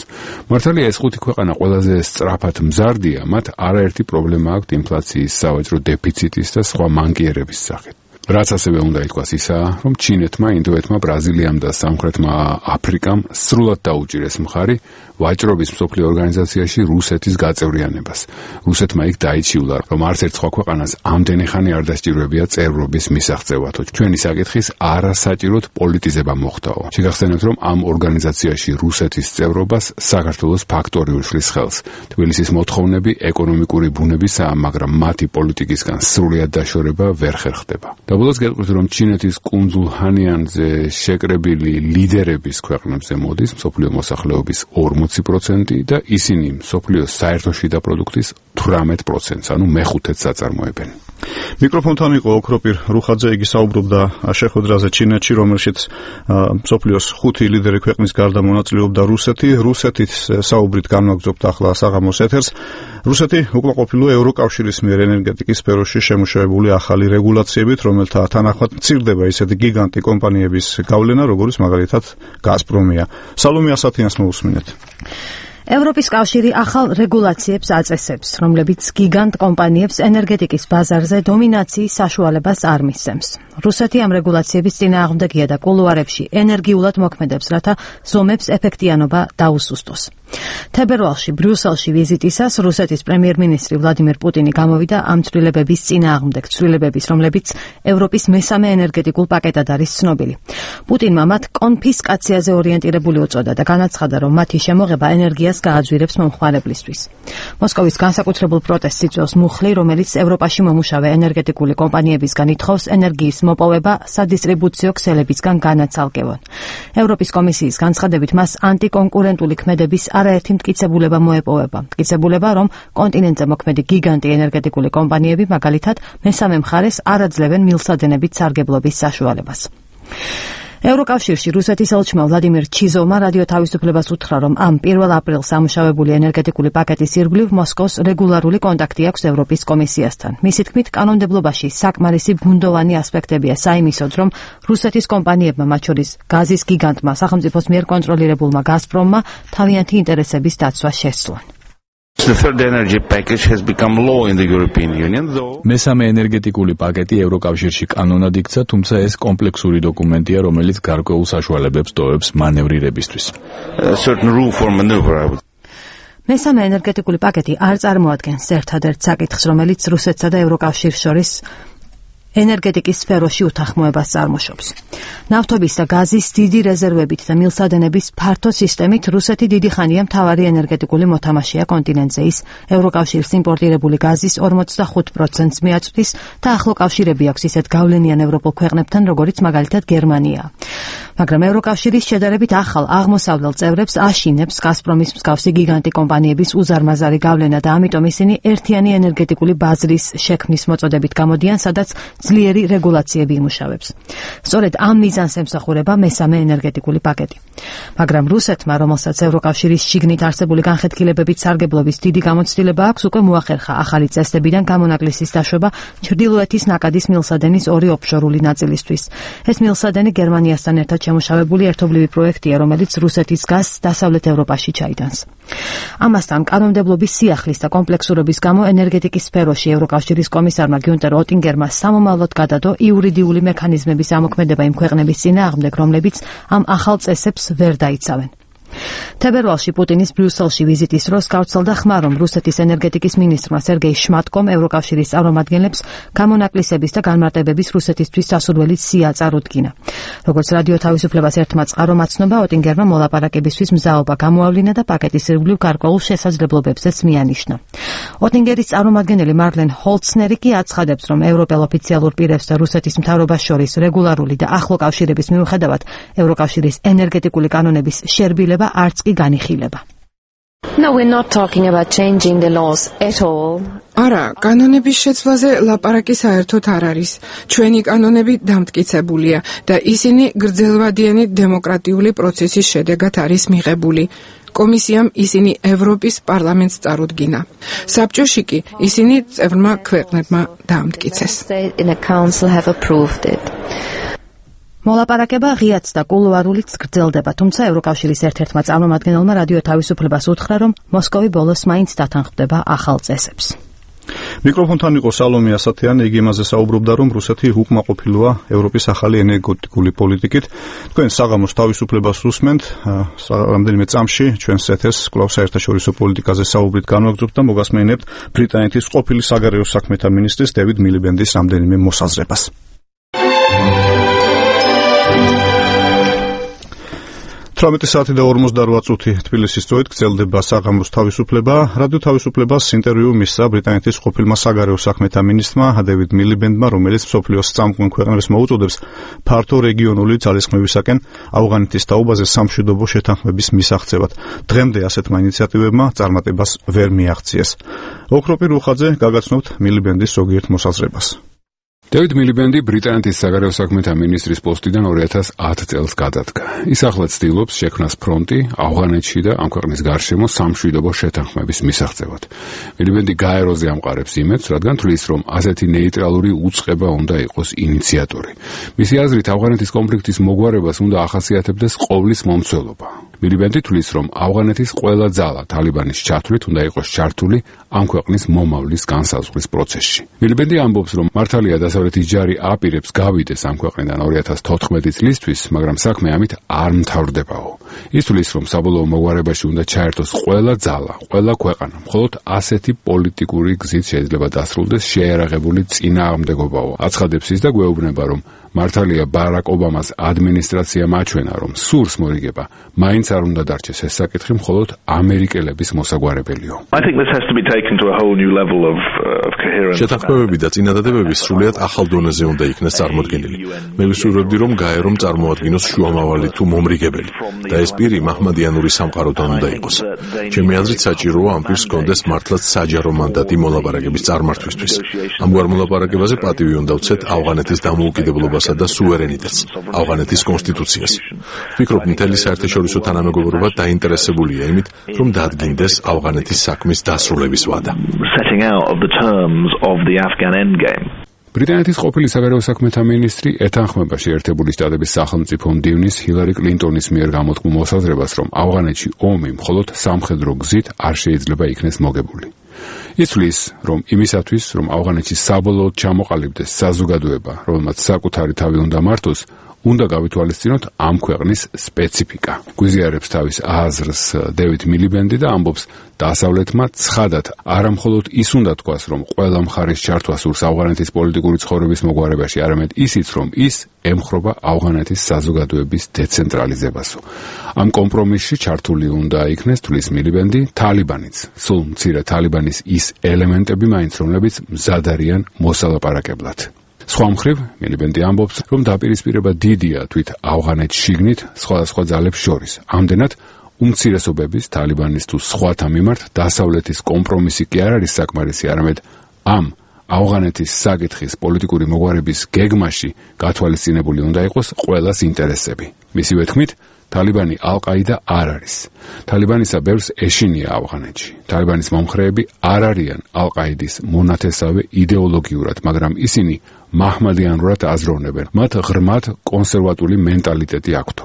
მართალია ეს 5 ქვეყანა ყველაზე სწრაფად მზარდია, მათ არაერთი პრობლემა აქვს ინფლაციის, სავაჭრო დეფიციტის და სხვა მანკიერების სახით. რაც ასევე უნდა ითქვას ისაა, რომ ჩინეთმა, ინდოეთმა, ბრაზილიამ და სამხრეთმა აფრიკამ სრულად დაუჭირეს მხარი ვაჭრობის მსოფლიო ორგანიზაციაში რუსეთის გაწევრიანებას. რუსეთმა იქ დაიჩიულა, რომ არც ერთ სხვა ქვეყანას ამდენი ხანი არ დასჭირვებია წევრობის მისაღწევათო. ჩვენი საკითხის არასაჭიროდ პოლიტიზება მოხდაო. შეგახსენებთ, რომ ამ ორგანიზაციაში რუსეთის წევრობას საქართველოს ფაქტორი უშლის ხელს. თბილისის მოთხოვნები ეკონომიკური ბუნებისაა, მაგრამ მათი პოლიტიკისგან სრულად დაშორება ვერ ხერხდება. და ბოლოს გეტყვით, რომ ჩინეთის კუნძულ ჰანიანზე შეკრებილი ლიდერების ქვეყნებზე მოდის მსოფლიო მოსახლეობის 40% და ისინი მსოფლიოს საერთო შიდა პროდუქტის 18%, ანუ მე-5-ს აწარმოებენ. მიკროფონთან იყო ოქროპირ რუხაძე, იგი საუბრობდა შეხვედრაზე ჩინეთში, რომელშიც მსოფლიოს 5 ლიდერი ქვეყნის გარდა მონაწილეობდა რუსეთი. რუსეთის საუბრით განვაგრძობთ ახლა საღამოს ეთერს. რუსეთი უკმაყოფილოა ევროკავშირის მიერ ენერგეტიკის სფეროში შემუშავებული ახალი რეგულაციებით, რომელთა თანახმად მცირდება ისეთი გიგანტი კომპანიების გავლენა, როგორც მაგალითად გაზპრომია. სალომე ასათიანს მოусმინეთ. ევროპის კავშირი ახალ რეგულაციებს აწესებს, რომლებიც გიგანტ კომპანიებს ენერგეტიკის ბაზარზე დომინაციის საშუალებას არ მისცემს. რუსეთი ამ რეგულაციების წინააღმდეგია და კულუარებში ენერგიულად მოქმედებს, რათა ზომებს ეფექტიანობა დაუსუსტოს. თებერვალში ბრიუსელში ვიზიტისას რუსეთის პრემიერ-მინისტრი ვლადიმირ პუტინი გამოვიდა ამ ცვლილებების წინააღმდეგ, ცვლილებების, რომლებიც ევროპის მესამე ენერგეტიკულ პაკეტად არის ცნობილი. პუტინმა მათ კონფისკაციაზე ორიენტირებული უწოდა და განაცხადა, რომ მათი შემოღება ენერგიას გააძვირებს მომხმარებლისთვის. მოსკოვის განსაკუთრებულ პროტესტს იწვევს მუხლი, რომელიც ევროპაში მომუშავე ენერგეტიკული კომპანიებისგან ითხოვს ენერგიის მოპოვება სადისტრიბუციო ქსელებისგან განაცალკევონ. ევროპის კომისიის განცხადებით მას ანტიკონკურენტული ქმედების არაერთი მტკიცებულება მოეპოვება. მტკიცებულება, რომ კონტინენტზე მოქმედი გიგანტი ენერგეტიკული კომპანიები მაგალითად მესამე მხარეს არ აძლევენ მილსადენებით სარგებლობის საშუალებას. ევროკავშირში რუსეთის ელჩმა ვლადიმირ ჩიზოვმა რადიო თავისუფლებას უთხრა, რომ ამ 1 აპრილს ამუშავებული ენერგეტიკული პაკეტის ირგვლივ მოსკოვს რეგულარული კონტაქტი აქვს ევროპის კომისიასთან. მისი თქმით, კანონმდებლობაში საკმარისი ბუნდოვანი ასპექტებია საიმისოდ, რომ რუსეთის კომპანიებმა, მათ შორის გაზის გიგანტმა, სახელმწიფოს მიერ კონტროლირებულმა გაზპრომმა თავიანთი ინტერესების დაცვა შესძლონ. The third energy package has become law in the European Union, though მესამე ენერგეტიკული პაკეტი ევროკავშირში კანონად იქცა, თუმცა ეს კომპლექსური დოკუმენტია, რომელიც გარკვეულ საშუალებებს ტოვებს მანევრირებისთვის. Certain room for maneuver. მესამე ენერგეტიკული პაკეტი არ წარმოადგენს ერთადერთ საკითხს, რომელიც რუსეთსა და ევროკავშირს შორის ენერგეტიკის სფეროში უთანხმოებას წარმოშობს. ნავთობის და გაზის დიდი რეზერვებით და მილსადენების ფართო სისტემით რუსეთი დიდი ხანია მთავარი ენერგეტიკული მოთამაშეა კონტინენტზე. ის ევროკავშირის იმპორტირებული გაზის 45%-ს მიაწვდის და ახლო კავშირები აქვს ისეთ გავლენიან ევროპულ ქვეყნებთან, როგორიც მაგალითად გერმანია. მაგრამ ევროკავშირის შედარებით ახალ აღმოსავლელ წევრებს აშინებს გაზპრომის მსგავსი გიგანტი კომპანიების უზარმაზარი გავლენა და ამიტომ ისინი ერთიანი ენერგეტიკული ბაზრის შექმნის მოწოდებით გამოდიან, სადაც ძლიერი რეგულაციები იმუშავებს. სწორედ ამ მიზანს ემსახურება მესამე ენერგეტიკული პაკეტი. მაგრამ რუსეთმა, რომელსაც ევროკავშირის შიგნით არსებული განხეთქილებებით სარგებლობის დიდი გამოცდილება აქვს, უკვე მოახერხა ახალი წესდებიდან გამონაკლისის დაშვება ჩრდილოეთის ნაკადის მილსადენის 2 ოფშორული ნაწილისთვის. ეს მილსადენი გერმანიასთან ერთად შემუშავებული ერთობლივი პროექტია, რომელიც რუსეთის გაზს დასავლეთ ევროპაში ჩაიტანს. ამასთან კანონმდებლობის სიახლის და კომპლექსურობის გამო ენერგეტიკის სფეროში ევროკავშირის კომისარმა გიუნტერ ოტინგერმა სამომავლოდ გადადო იურიდიული მექანიზმების ამოქმედება იმ ქვეყნების წინააღმდეგ, რომლებიც ამ ახალ წესებს ვერ დაიცავენ. თებერვალში პუტინის ბრიუსელში ვიზიტის დროს გავრცელდა ხმა, რომ რუსეთის ენერგეტიკის მინისტრმა სერგეი შმატკომ ევროკავშირის წარმომადგენლებს გამონაკლისების და განმარტებების რუსეთისთვის სასურველი სია წარუდგინა. როგორც რადიო თავისუფლებას ერთმა წყარომ აცნობა, ოტინგერმა მოლაპარაკებისთვის მზაობა გამოავლინა და პაკეტის ირგვლივ გარკვეულ შესაძლებლობებზეც მიანიშნა. ოტინგერის წარმომადგენელი მარლენ ჰოლცნერი კი აცხადებს, რომ ევროპელ ოფიციალურ პირებს და რუსეთის მთავრობას შორის რეგულარული და ახლო კავშირების მიუხედავად ევროკავშირის ენერგეტიკული კანონების შერბილება არც კი განიხილება. No, we're not talking about changing the laws at all. არა, კანონების შეცვლაზე ლაპარაკი საერთოდ არ არის. ჩვენი კანონები დამტკიცებულია და ისინი გრძელვადიანი დემოკრატიული პროცესის შედეგად არის მიღებული. კომისიამ ისინი ევროპის პარლამენტს წარუდგინა. საბჭოში კი ისინი წევრმა ქვეყნებმა დაამტკიცეს. მოლაპარაკება ღიაც და კულუარულიც გრძელდება, თუმცა ევროკავშირის ერთ-ერთმა წარმომადგენელმა რადიო თავისუფლებას უთხრა, რომ მოსკოვი ბოლოს მაინც დათანხმდება ახალ წესებს. მიკროფონთან იყო სალომე ასათიანი, იგი იმაზე საუბრობდა, რომ რუსეთი უკმაყოფილოა ევროპის ახალი ენერგეტიკული პოლიტიკით. თქვენ საღამოს თავისუფლებას უსმენთ, რამდენიმე წამში ჩვენს ეთერს კვლავ საერთაშორისო პოლიტიკაზე საუბრით განვაგრძობთ და მოგასმენებთ ბრიტანეთის ყოფილი საგარეო საქმეთა მინისტრის დევიდ მილიბენდის რამდენიმე მოსაზრებას. 18 საათი და 48 წუთი თბილისის დროით გრძელდება საღამოს თავისუფლება. რადიო თავისუფლებას ინტერვიუ მისცა ბრიტანეთის ყოფილმა საგარეო საქმეთა მინისტრმა დევიდ მილიბენდმა, რომელიც მსოფლიოს წამყვან ქვეყნებს მოუწოდებს ფართო რეგიონული ძალისხმევისაკენ ავღანეთის თაობაზე სამშვიდობო შეთანხმების მისაღწევად. დღემდე ასეთმა ინიციატივებმა წარმატებას ვერ მიაღწიეს. ოქროპი რუხაძე გაგაცნობთ მილიბენდის ზოგიერთ მოსაზრებას. დევიდ მილიბენდი ბრიტანეთის საგარეო საქმეთა მინისტრის პოსტიდან 2010 წელს გადადგა. ის ახლა ცდილობს შექმნას ფრონტი ავღანეთში და ამ ქვეყნის გარშემო სამშვიდობო შეთანხმების მისაღწევად. მილიბენდი გაეროზე ამყარებს იმედს, რადგან თვლის, რომ ასეთი ნეიტრალური უწყება უნდა იყოს ინიციატორი. მისი აზრით, ავღანეთის კონფლიქტის მოგვარებას უნდა ახასიათებდეს ყოვლის მომცველობა. მილიბენდი თვლის, რომ ავღანეთის ყველა ძალა თალიბანის ჩათვლით უნდა იყოს ჩართული ამ ქვეყნის მომავლის განსაზღვრის პროცესში. მილიბენდი ამბობს, რომ მართალია დასავლეთის ჯარი აპირებს გავიდეს ამ ქვეყნიდან 2014 წლისთვის, მაგრამ საქმე ამით არ მთავრდებაო. ის თვლის, რომ საბოლოო მოგვარებაში უნდა ჩაერთოს ყველა ძალა, ყველა ქვეყანა. მხოლოდ ასეთი პოლიტიკური გზით შეიძლება დასრულდეს შეიარაღებული წინააღმდეგობაო. აცხადებს ის და გვეუბნება, რომ მართალია ბარაკ ობამას ადმინისტრაცია მაჩვენა, რომ სურს მორიგება, მაინც არ უნდა დარჩეს ეს საკითხი მხოლოდ ამერიკელების მოსაგვარებელიო. შეთანხმებები და წინადადებები სრულიად ახალ დონეზე უნდა იქნეს წარმოდგენილი. მე ვისურვებდი, რომ გაერომ წარმოადგინოს შუამავალი თუ მომრიგებელი და ეს პირი მაჰმადიანური სამყაროდან უნდა იყოს. ჩემი აზრით საჭიროა ამ პირს ჰქონდეს მართლაც საჯარო მანდატი მოლაპარაკების წარმართვისთვის. ამგვარ მოლაპარაკებაზე პატივი უნდა ვცეთ ავღანეთის დამოუკიდებლობა და სუვერენიტეტს, ავღანეთის კონსტიტუციას. ვფიქრობ, მთელი საერთაშორისო თანამეგობრობა დაინტერესებულია იმით, რომ დადგინდეს ავღანეთის საქმის დასრულების ვადა. ბრიტანეთის ყოფილი საგარეო საქმეთა მინისტრი ეთანხმება შეერთებული შტატების სახელმწიფო მდივნის ჰილარი კლინტონის მიერ გამოთქმულ მოსაზრებას, რომ ავღანეთში ომი მხოლოდ სამხედრო გზით არ შეიძლება იქნეს მოგებული. იცვლის, რომ იმისათვის, რომ ავღანეთში საბოლოოდ ჩამოყალიბდეს საზოგადოება, რომელმაც საკუთარი თავი უნდა მართოს, უნდა გავითვალისწინოთ ამ ქვეყნის სპეციფიკა. გვიზიარებს თავის აზრს დევიდ მილიბენდი და ამბობს, დასავლეთმა ცხადად არამხოლოდ ის უნდა თქვას, რომ ყველა მხარის ჩართვა სურს ავღანეთის პოლიტიკური ცხოვრების მოგვარებაში, არამედ ისიც, რომ ის ემხრობა ავღანეთის საზოგადოების დეცენტრალიზებასო. ამ კომპრომისში ჩართული უნდა იქნეს, თვლის მილიბენდი, თალიბანიც, სულ მცირე თალიბანის ის ელემენტები მაინც, რომლებიც მზად არიან მოსალაპარაკებლად. სხვა მხრივ, მილიბენდი ამბობს, რომ დაპირისპირება დიდია თვით ავღანეთს შიგნით სხვადასხვა ძალებს შორის. ამდენად უმცირესობების, თალიბანის თუ სხვათა მიმართ დასავლეთის კომპრომისი კი არ არის საკმარისი, არამედ ამ ავღანეთის საკითხის პოლიტიკური მოგვარების გეგმაში გათვალისწინებული უნდა იყოს ყველას ინტერესები. მისივე თქმით, თალიბანი ალ-ყაიდა არ არის. თალიბანისა ბევრს ეშინია ავღანეთში. თალიბანის მომხრეები არ არიან ალ-ყაიდის მონათესავე იდეოლოგიურად, მაგრამ ისინი მაჰმადიანურად აზროვნებენ. მათ ღრმად კონსერვატული მენტალიტეტი აქვთ.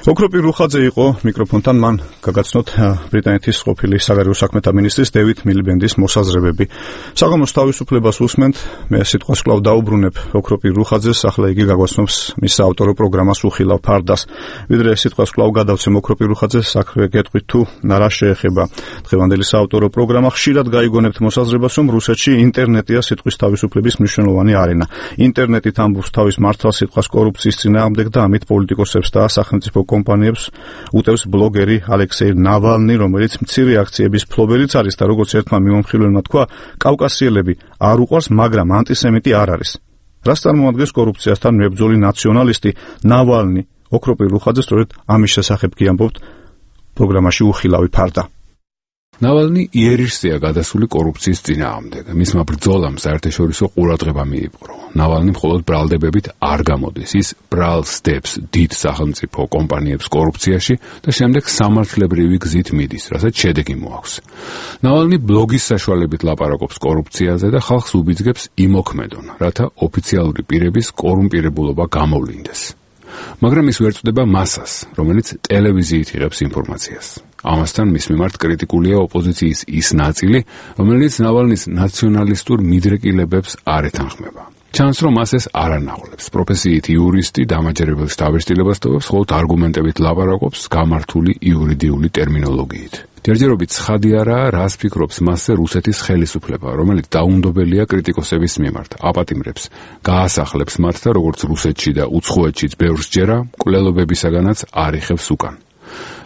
ოქროპი რუხაძე იყო მიკროფონთან, მან გაგაცნოთ ბრიტანეთის ყოფილი საგარეო საქმეთა მინისტრის დევიდ მილიბენდის მოსაზრებები. საღამოს თავისუფლებას უსმენთ, მე სიტყვას კვლავ დაუბრუნებ ოქროპი რუხაძეს, ახლა იგი გაგაცნობს მის საავტორო პროგრამას უხილავ ფარდას. ვიდრე სიტყვას კვლავ გადავცემ ოქროპი რუხაძეს, საქმე გეტყვით თუ რა შეეხება დღევანდელი საავტორო პროგრამა. ხშირად გაიგონებთ მოსაზრებას, რომ რუსეთში ინტერნეტია სიტყვის თავისუფლების მნიშვნელოვანი არენა. ინტერნეტით ამბობს თავის მართალ სიტყვას კორუფციის წინააღმდეგ და ამით პოლიტიკოსებს და სახელმწიფო კომპანიებს უტევს ბლოგერი ალექსეი ნავალნი, რომელიც მცირე აქციების ფლობელიც არის და როგორც ერთმა მიმომხილველმა თქვა, კავკასიელები არ უყვარს, მაგრამ ანტისემიტი არ არის. რას წარმოადგენს კორუფციასთან მებრძოლი ნაციონალისტი ნავალნი? ოქროპი რუხაძე სწორედ ამის შესახებ კი ამბობთ პროგრამაში უხილავი ფარდა. ნავალნი იერიშზეა გადასული კორუფციის წინააღმდეგ. მისმა ბრძოლამ საერთაშორისო ყურადღება მიიპყრო. ნავალნი მხოლოდ ბრალდებებით არ გამოდის. ის ბრალსდებს დიდ სახელმწიფო კომპანიებს კორუფციაში და შემდეგ სამართლებრივი გზით მიდის, რასაც შედეგი მოაქვს. ნავალნი ბლოგის საშუალებით ლაპარაკობს კორუფციაზე და ხალხს უბიძგებს იმოქმედონ, რათა ოფიციალური პირების კორუმპირებულობა გამოვლინდეს. მაგრამ ის ვერ წდება მასას, რომელიც ტელევიზიით იღებს ინფორმაციას. ამასთან მის მიმართ კრიტიკულია ოპოზიციის ის ნაწილი, რომელიც ნავალნის ნაციონალისტურ მიდრეკილებებს არ ეთანხმება. ჩანს, რომ მას ეს არ ანაღლებს. პროფესიით იურისტი დამაჯერებელს თავისtildeებას თოვებს, ხოლო არგუმენტებით ლაპარაკობს გამართული იურიდიული ტერმინოლოგიით. ჯერჯერობით ცხადი არაა, რას ფიქრობს მასზე რუსეთის ხელისუფლება, რომელიც დაუნდობელია კრიტიკოსების მიმართ, აპატიმრებს, გაასახლებს მათ და როგორც რუსეთში და უცხოეთშიც ბევრს ჯერა, მკვლელობებისაგანაც არ იხევს უკან.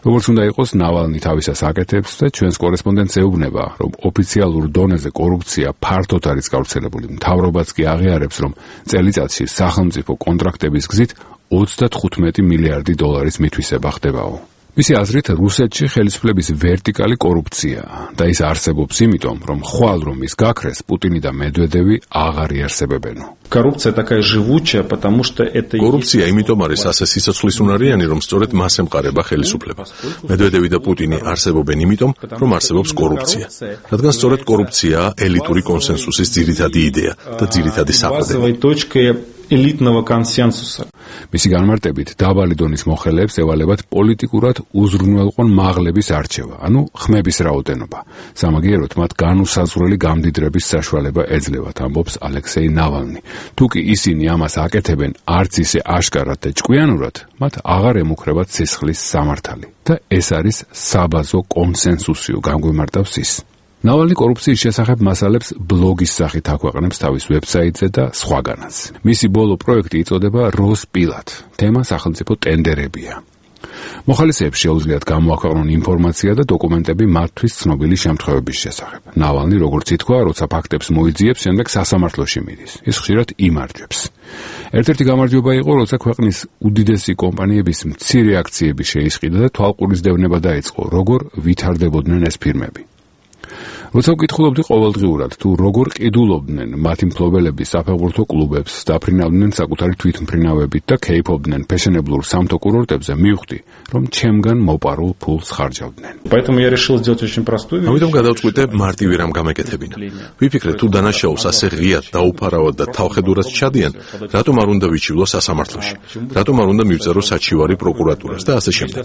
როგორც უნდა იყოს, ნავალნი თავისას აკეთებს და ჩვენს კორესპონდენტს ეუბნება, რომ ოფიციალურ დონეზე კორუფცია ფართოდ არის გავრცელებული. მთავრობაც კი აღიარებს, რომ წელიწადში სახელმწიფო კონტრაქტების გზით 35 მილიარდი დოლარის მითვისება ხდებაო. მისი აზრით, რუსეთში ხელისუფლების ვერტიკალი კორუფციაა და ის არსებობს იმიტომ, რომ ხვალ რომ ის გაქრეს, პუტინი და მედვედევი აღარ იარსებებენო. Коррупция такая живучая, потому что это კორუფცია იმიტომ არის ასე სიცოცხლისუნარიანი, რომ სწორედ მას ემყარება ხელისუფლება. მედვედევი და პუტინი არსებობენ იმიტომ, რომ არსებობს კორუფცია. რადგან სწორედ კორუფციაა ელიტური კონსენსუსის ძირითადი იდეა და ძირითადი საყრდენი. элитного консенсуса. მისი განმარტებით, დაბალი დონის მოხელეებს ევალებათ პოლიტიკურად უზრუნველყონ მაღლების არჩევა, ანუ ხმების რაოდენობა. სამაგიეროდ მათ განუსაზღვრელი გამდიდრების საშუალება ეძლევათ, ამბობს ალექსეი ნავალნი. თუ კი ისინი ამას აკეთებენ არც ისე აშკარად და ჭკვიანურად, მათ აღარ ემუქრებათ სისხლის სამართალი. და ეს არის საბაზო კონსენსუსიო, განგვიმარტავს ის. ნავალნი კორუფციის შესახებ მასალებს ბლოგის სახით აქვეყნებს თავის ვებსაიტზე და სხვაგანაც. მისი ბოლო პროექტი იწოდება როსპილად. თემა სახელმწიფო ტენდერებია. მოხალისეებს შეუძლიათ გამოაქვეყნონ ინფორმაცია და დოკუმენტები მათთვის ცნობილი შემთხვევების შესახებ. ნავალნი, როგორც ითქვა, როცა ფაქტებს მოიძიებს, შემდეგ სასამართლოში მიდის. ის ხშირად იმარჯვებს. ერთ-ერთი გამარჯვება იყო, როცა ქვეყნის უდიდესი კომპანიების მცირე აქციები შეისყიდა და თვალყურისდევნება დაიწყო, როგორ ვითარდებოდნენ ეს ფირმები. როცა ვკითხულობდი ყოველდღიურად, თუ როგორ ყიდულობდნენ მათი მფლობელები საფეხბურთო კლუბებს, დაფრინავდნენ საკუთარი თვითმფრინავებით და კეიფობდნენ ფეშენებლურ სამთო კურორტებზე, მივხვდი, რომ ჩემგან მოპარულ ფულს ხარჯავდნენ. Поэтому я решил сделать очень простую вещь. ამიტომ გადავწყვიტე მარტივი რამ გამეკეთებინა. ვიფიქრე, თუ დანაშაულს ასე ღიად დაუფარავად და თავხედურად ჩადიან, რატომ არ უნდა ვიჩივლო სასამართლოში? რატომ არ უნდა მივწერო საჩივარი პროკურატურას და ასე შემდეგ.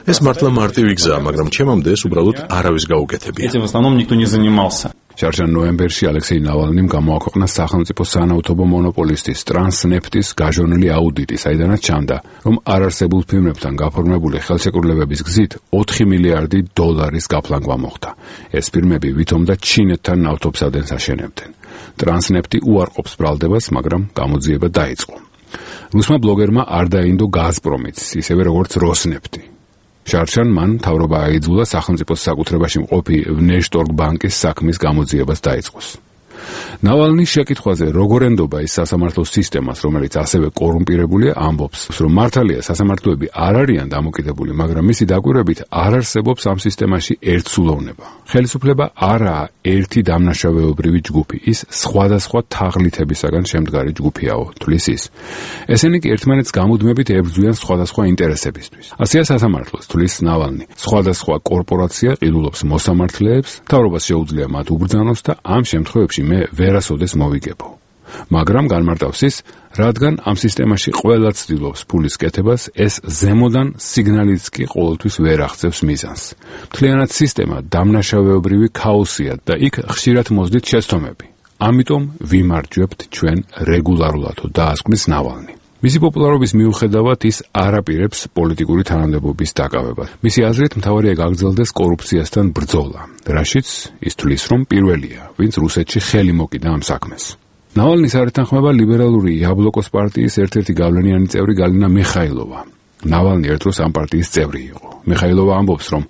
ეს მართლა მარტივი გზაა, მაგრამ ჩემამდე ეს უბრალოდ არავის გაუკეთებია. Этим в основном никто не занимался. შარშან ნოემბერში ალექსეი ნავალნიმ გამოაქვეყნა სახელმწიფო სანავთობო მონოპოლისტის ტრანსნეფტის გაჟონილი აუდიტი, საიდანაც ჩანდა, რომ არარსებულ ფირმებთან გაფორმებული ხელშეკრულებების გზით 4 მილიარდი დოლარის გაფლანგვა მოხდა. ეს ფირმები ვითომ და ჩინეთთან ნავთობსადენს აშენებდნენ. ტრანსნეფტი უარყოფს ბრალდებას, მაგრამ გამოძიება დაიწყო. რუსმა ბლოგერმა არ დაინდო გაზპრომიც, ისევე როგორც როსნეფტი. შარშან მან მთავრობა აიძულა სახელმწიფოს საკუთრებაში მყოფი ვნეშტორგ ბანკის საქმის გამოძიებას დაიწყოს. ნავალნის შეკითხვაზე, როგორ ენდობა ის სასამართლო სისტემას, რომელიც ასევე კორუმპირებულია, ამბობს, რომ მართალია სასამართლოები არ არიან დამოკიდებული, მაგრამ მისი დაკვირვებით არ არსებობს ამ სისტემაში ერთსულოვნება. ხელისუფლება არაა ერთი დამნაშავეობრივი ჯგუფი, ის სხვადასხვა თაღლითებისაგან შემდგარი ჯგუფიაო, თვლის ის. ესენი კი ერთმანეთს გამუდმებით ებრძვიან სხვადასხვა ინტერესებისთვის. ასეა სასამართლოს, თვლის ნავალნი. სხვადასხვა კორპორაცია ყიდულობს მოსამართლეებს, მთავრობას შეუძლია მათ უბრძანოს და ამ შემთხვევებში მე ვერასოდეს მოვიგებო. მაგრამ განმარტავს ის, რადგან ამ სისტემაში ყველა ცდილობს ფულის კეთებას, ეს ზემოდან სიგნალიც კი ყოველთვის ვერ აღწევს მიზანს. მთლიანად სისტემა დამნაშავეობრივი ქაოსია და იქ ხშირად მოძდით შეცდომები. ამიტომ ვიმარჯვებთ ჩვენ რეგულარულად, დაასკვნის ნავალნი. მისი პოპულარობის მიუხედავად ის არ აპირებს პოლიტიკური თანამდებობის დაკავებას. მისი აზრით, მთავარია გაგრძელდეს კორუფციასთან ბრძოლა, რაშიც ის თვლის, რომ პირველია, ვინც რუსეთში ხელი მოკიდა ამ საქმეს. ნავალნის არ ეთანხმება ლიბერალური იაბლოკოს პარტიის ერთ-ერთი გავლენიანი წევრი გალინა მიხაილოვა. ნავალნი ერთ დროს ამ პარტიის წევრი იყო. მიხაილოვა ამბობს, რომ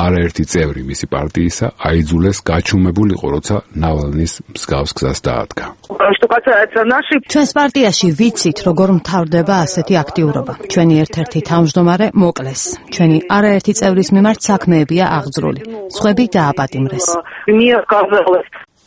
არაერთი წევრი მისი პარტიისა აიძულეს გაჩუმებულიყო, როცა ნავალნის მსგავს გზას დაადგა. ჩვენს პარტიაში ვიცით, როგორ მთავრდება ასეთი აქტიურობა. ჩვენი ერთ-ერთი თავმჯდომარე მოკლეს. ჩვენი არაერთი წევრის მიმართ საქმეებია აღძრული. სხვები დააპატიმრეს.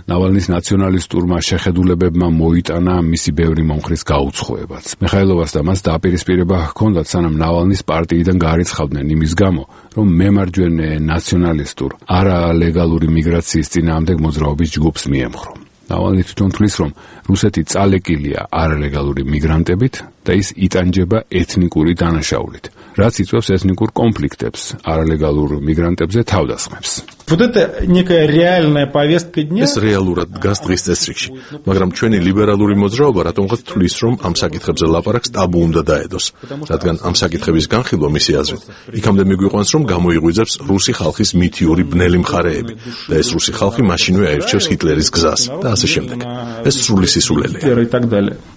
ნავალნის ნაციონალისტურმა შეხედულებებმა მოიტანა მისი ბევრი მომხრის გაუცხოებაც. მიხაილოვას და მას დაპირისპირება ჰქონდათ, სანამ ნავალნის პარტიიდან გარიცხავდნენ იმის გამო, რომ მემარჯვენე ნაციონალისტურ არალეგალური მიგრაციის წინააღმდეგ მოძრაობის ჯგუფს მიემხრო. ნავალნი თვითონ თვლის, რომ რუსეთი წალეკილია არალეგალური მიგრანტებით და ის იტანჯება ეთნიკური დანაშაულით, რაც იწვევს ეთნიკურ კონფლიქტებს, არალეგალურ მიგრანტებზე თავდასხმებს. Вот это некая реальная повестка дня. ეს რეალურად დგას დღის წესრიგში, მაგრამ ჩვენი ლიბერალური მოძრაობა რატომღაც თვლის, რომ ამ საკითხებზე ლაპარაკს ტაბუ უნდა დაედოს, რადგან ამ საკითხების განხილვა მისი აზრით იქამდე მიგვიყვანს, რომ გამოიღვიძებს რუსი ხალხის მითიური ბნელი მხარეები და ეს რუსი ხალხი მაშინვე აირჩევს ჰიტლერის გზას და ასე შემდეგ. ეს სრული სისულელეა.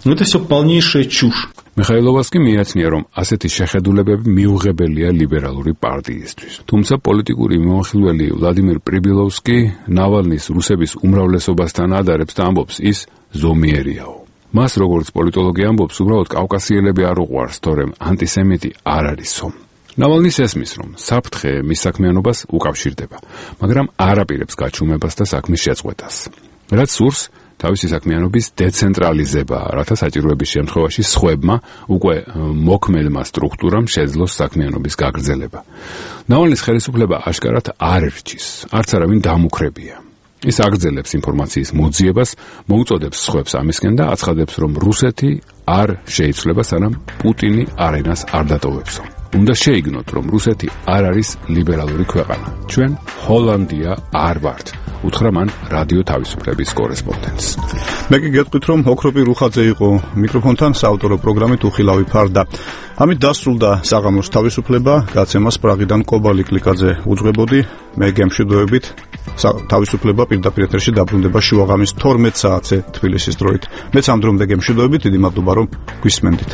Это всё полнейшая чушь. მიხაილოვას კი მიაცნია, რომ ასეთი შეხედულებები მიუღებელია ლიბერალური პარტიისთვის. თუმცა პოლიტიკური მიმოხილველი ვლადიმირ პრიბილოვსკი ნავალნის რუსების უმრავლესობასთან ადარებს და ამბობს, ის ზომიერიაო. მას როგორც პოლიტოლოგი ამბობს, უბრალოდ კავკასიელები არ უყვარს, თორემ ანტისემიტი არ არისო. ნავალნის ესმის, რომ საფრთხე მის საქმიანობას უკავშირდება, მაგრამ არ აპირებს გაჩუმებას და საქმის შეწყვეტას. რაც სურს თავისი საქმიანობის დეცენტრალიზება, რათა საჭიროების შემთხვევაში სხვებმა უკვე მოქმედმა სტრუქტურამ შეძლოს საქმიანობის გაგრძელება. ნავალნის ხელისუფლება აშკარად არ ერჩის, არც არავინ დამუქრებია. ის აგრძელებს ინფორმაციის მოძიებას, მოუწოდებს სხვებს ამისკენ და აცხადებს, რომ რუსეთი არ შეიცვლება, სანამ პუტინი არენას არ დატოვებსო. უნდა შეიგნოთ, რომ რუსეთი არ არის ლიბერალური ქვეყანა. ჩვენ ჰოლანდია არ ვართ. უთხრა მან რადიო თავისუფლების კორესპონდენტს. მე კი გეტყვით, რომ ოქროპი რუხაძე იყო მიკროფონთან საავტორო პროგრამით უხილავი ფარდა. ამით დასრულდა საღამოს თავისუფლება, გაცემას პრაღიდან კობალი კლიკაძე უძღვებოდი. მე გემშვიდობებით. თავისუფლება პირდაპირ ეთერში დაბრუნდება შუაღამის 12 საათზე თბილისის დროით. მეც ამ დრომდე გემშვიდობებით, დიდი მადლობა რომ გვისმენდით.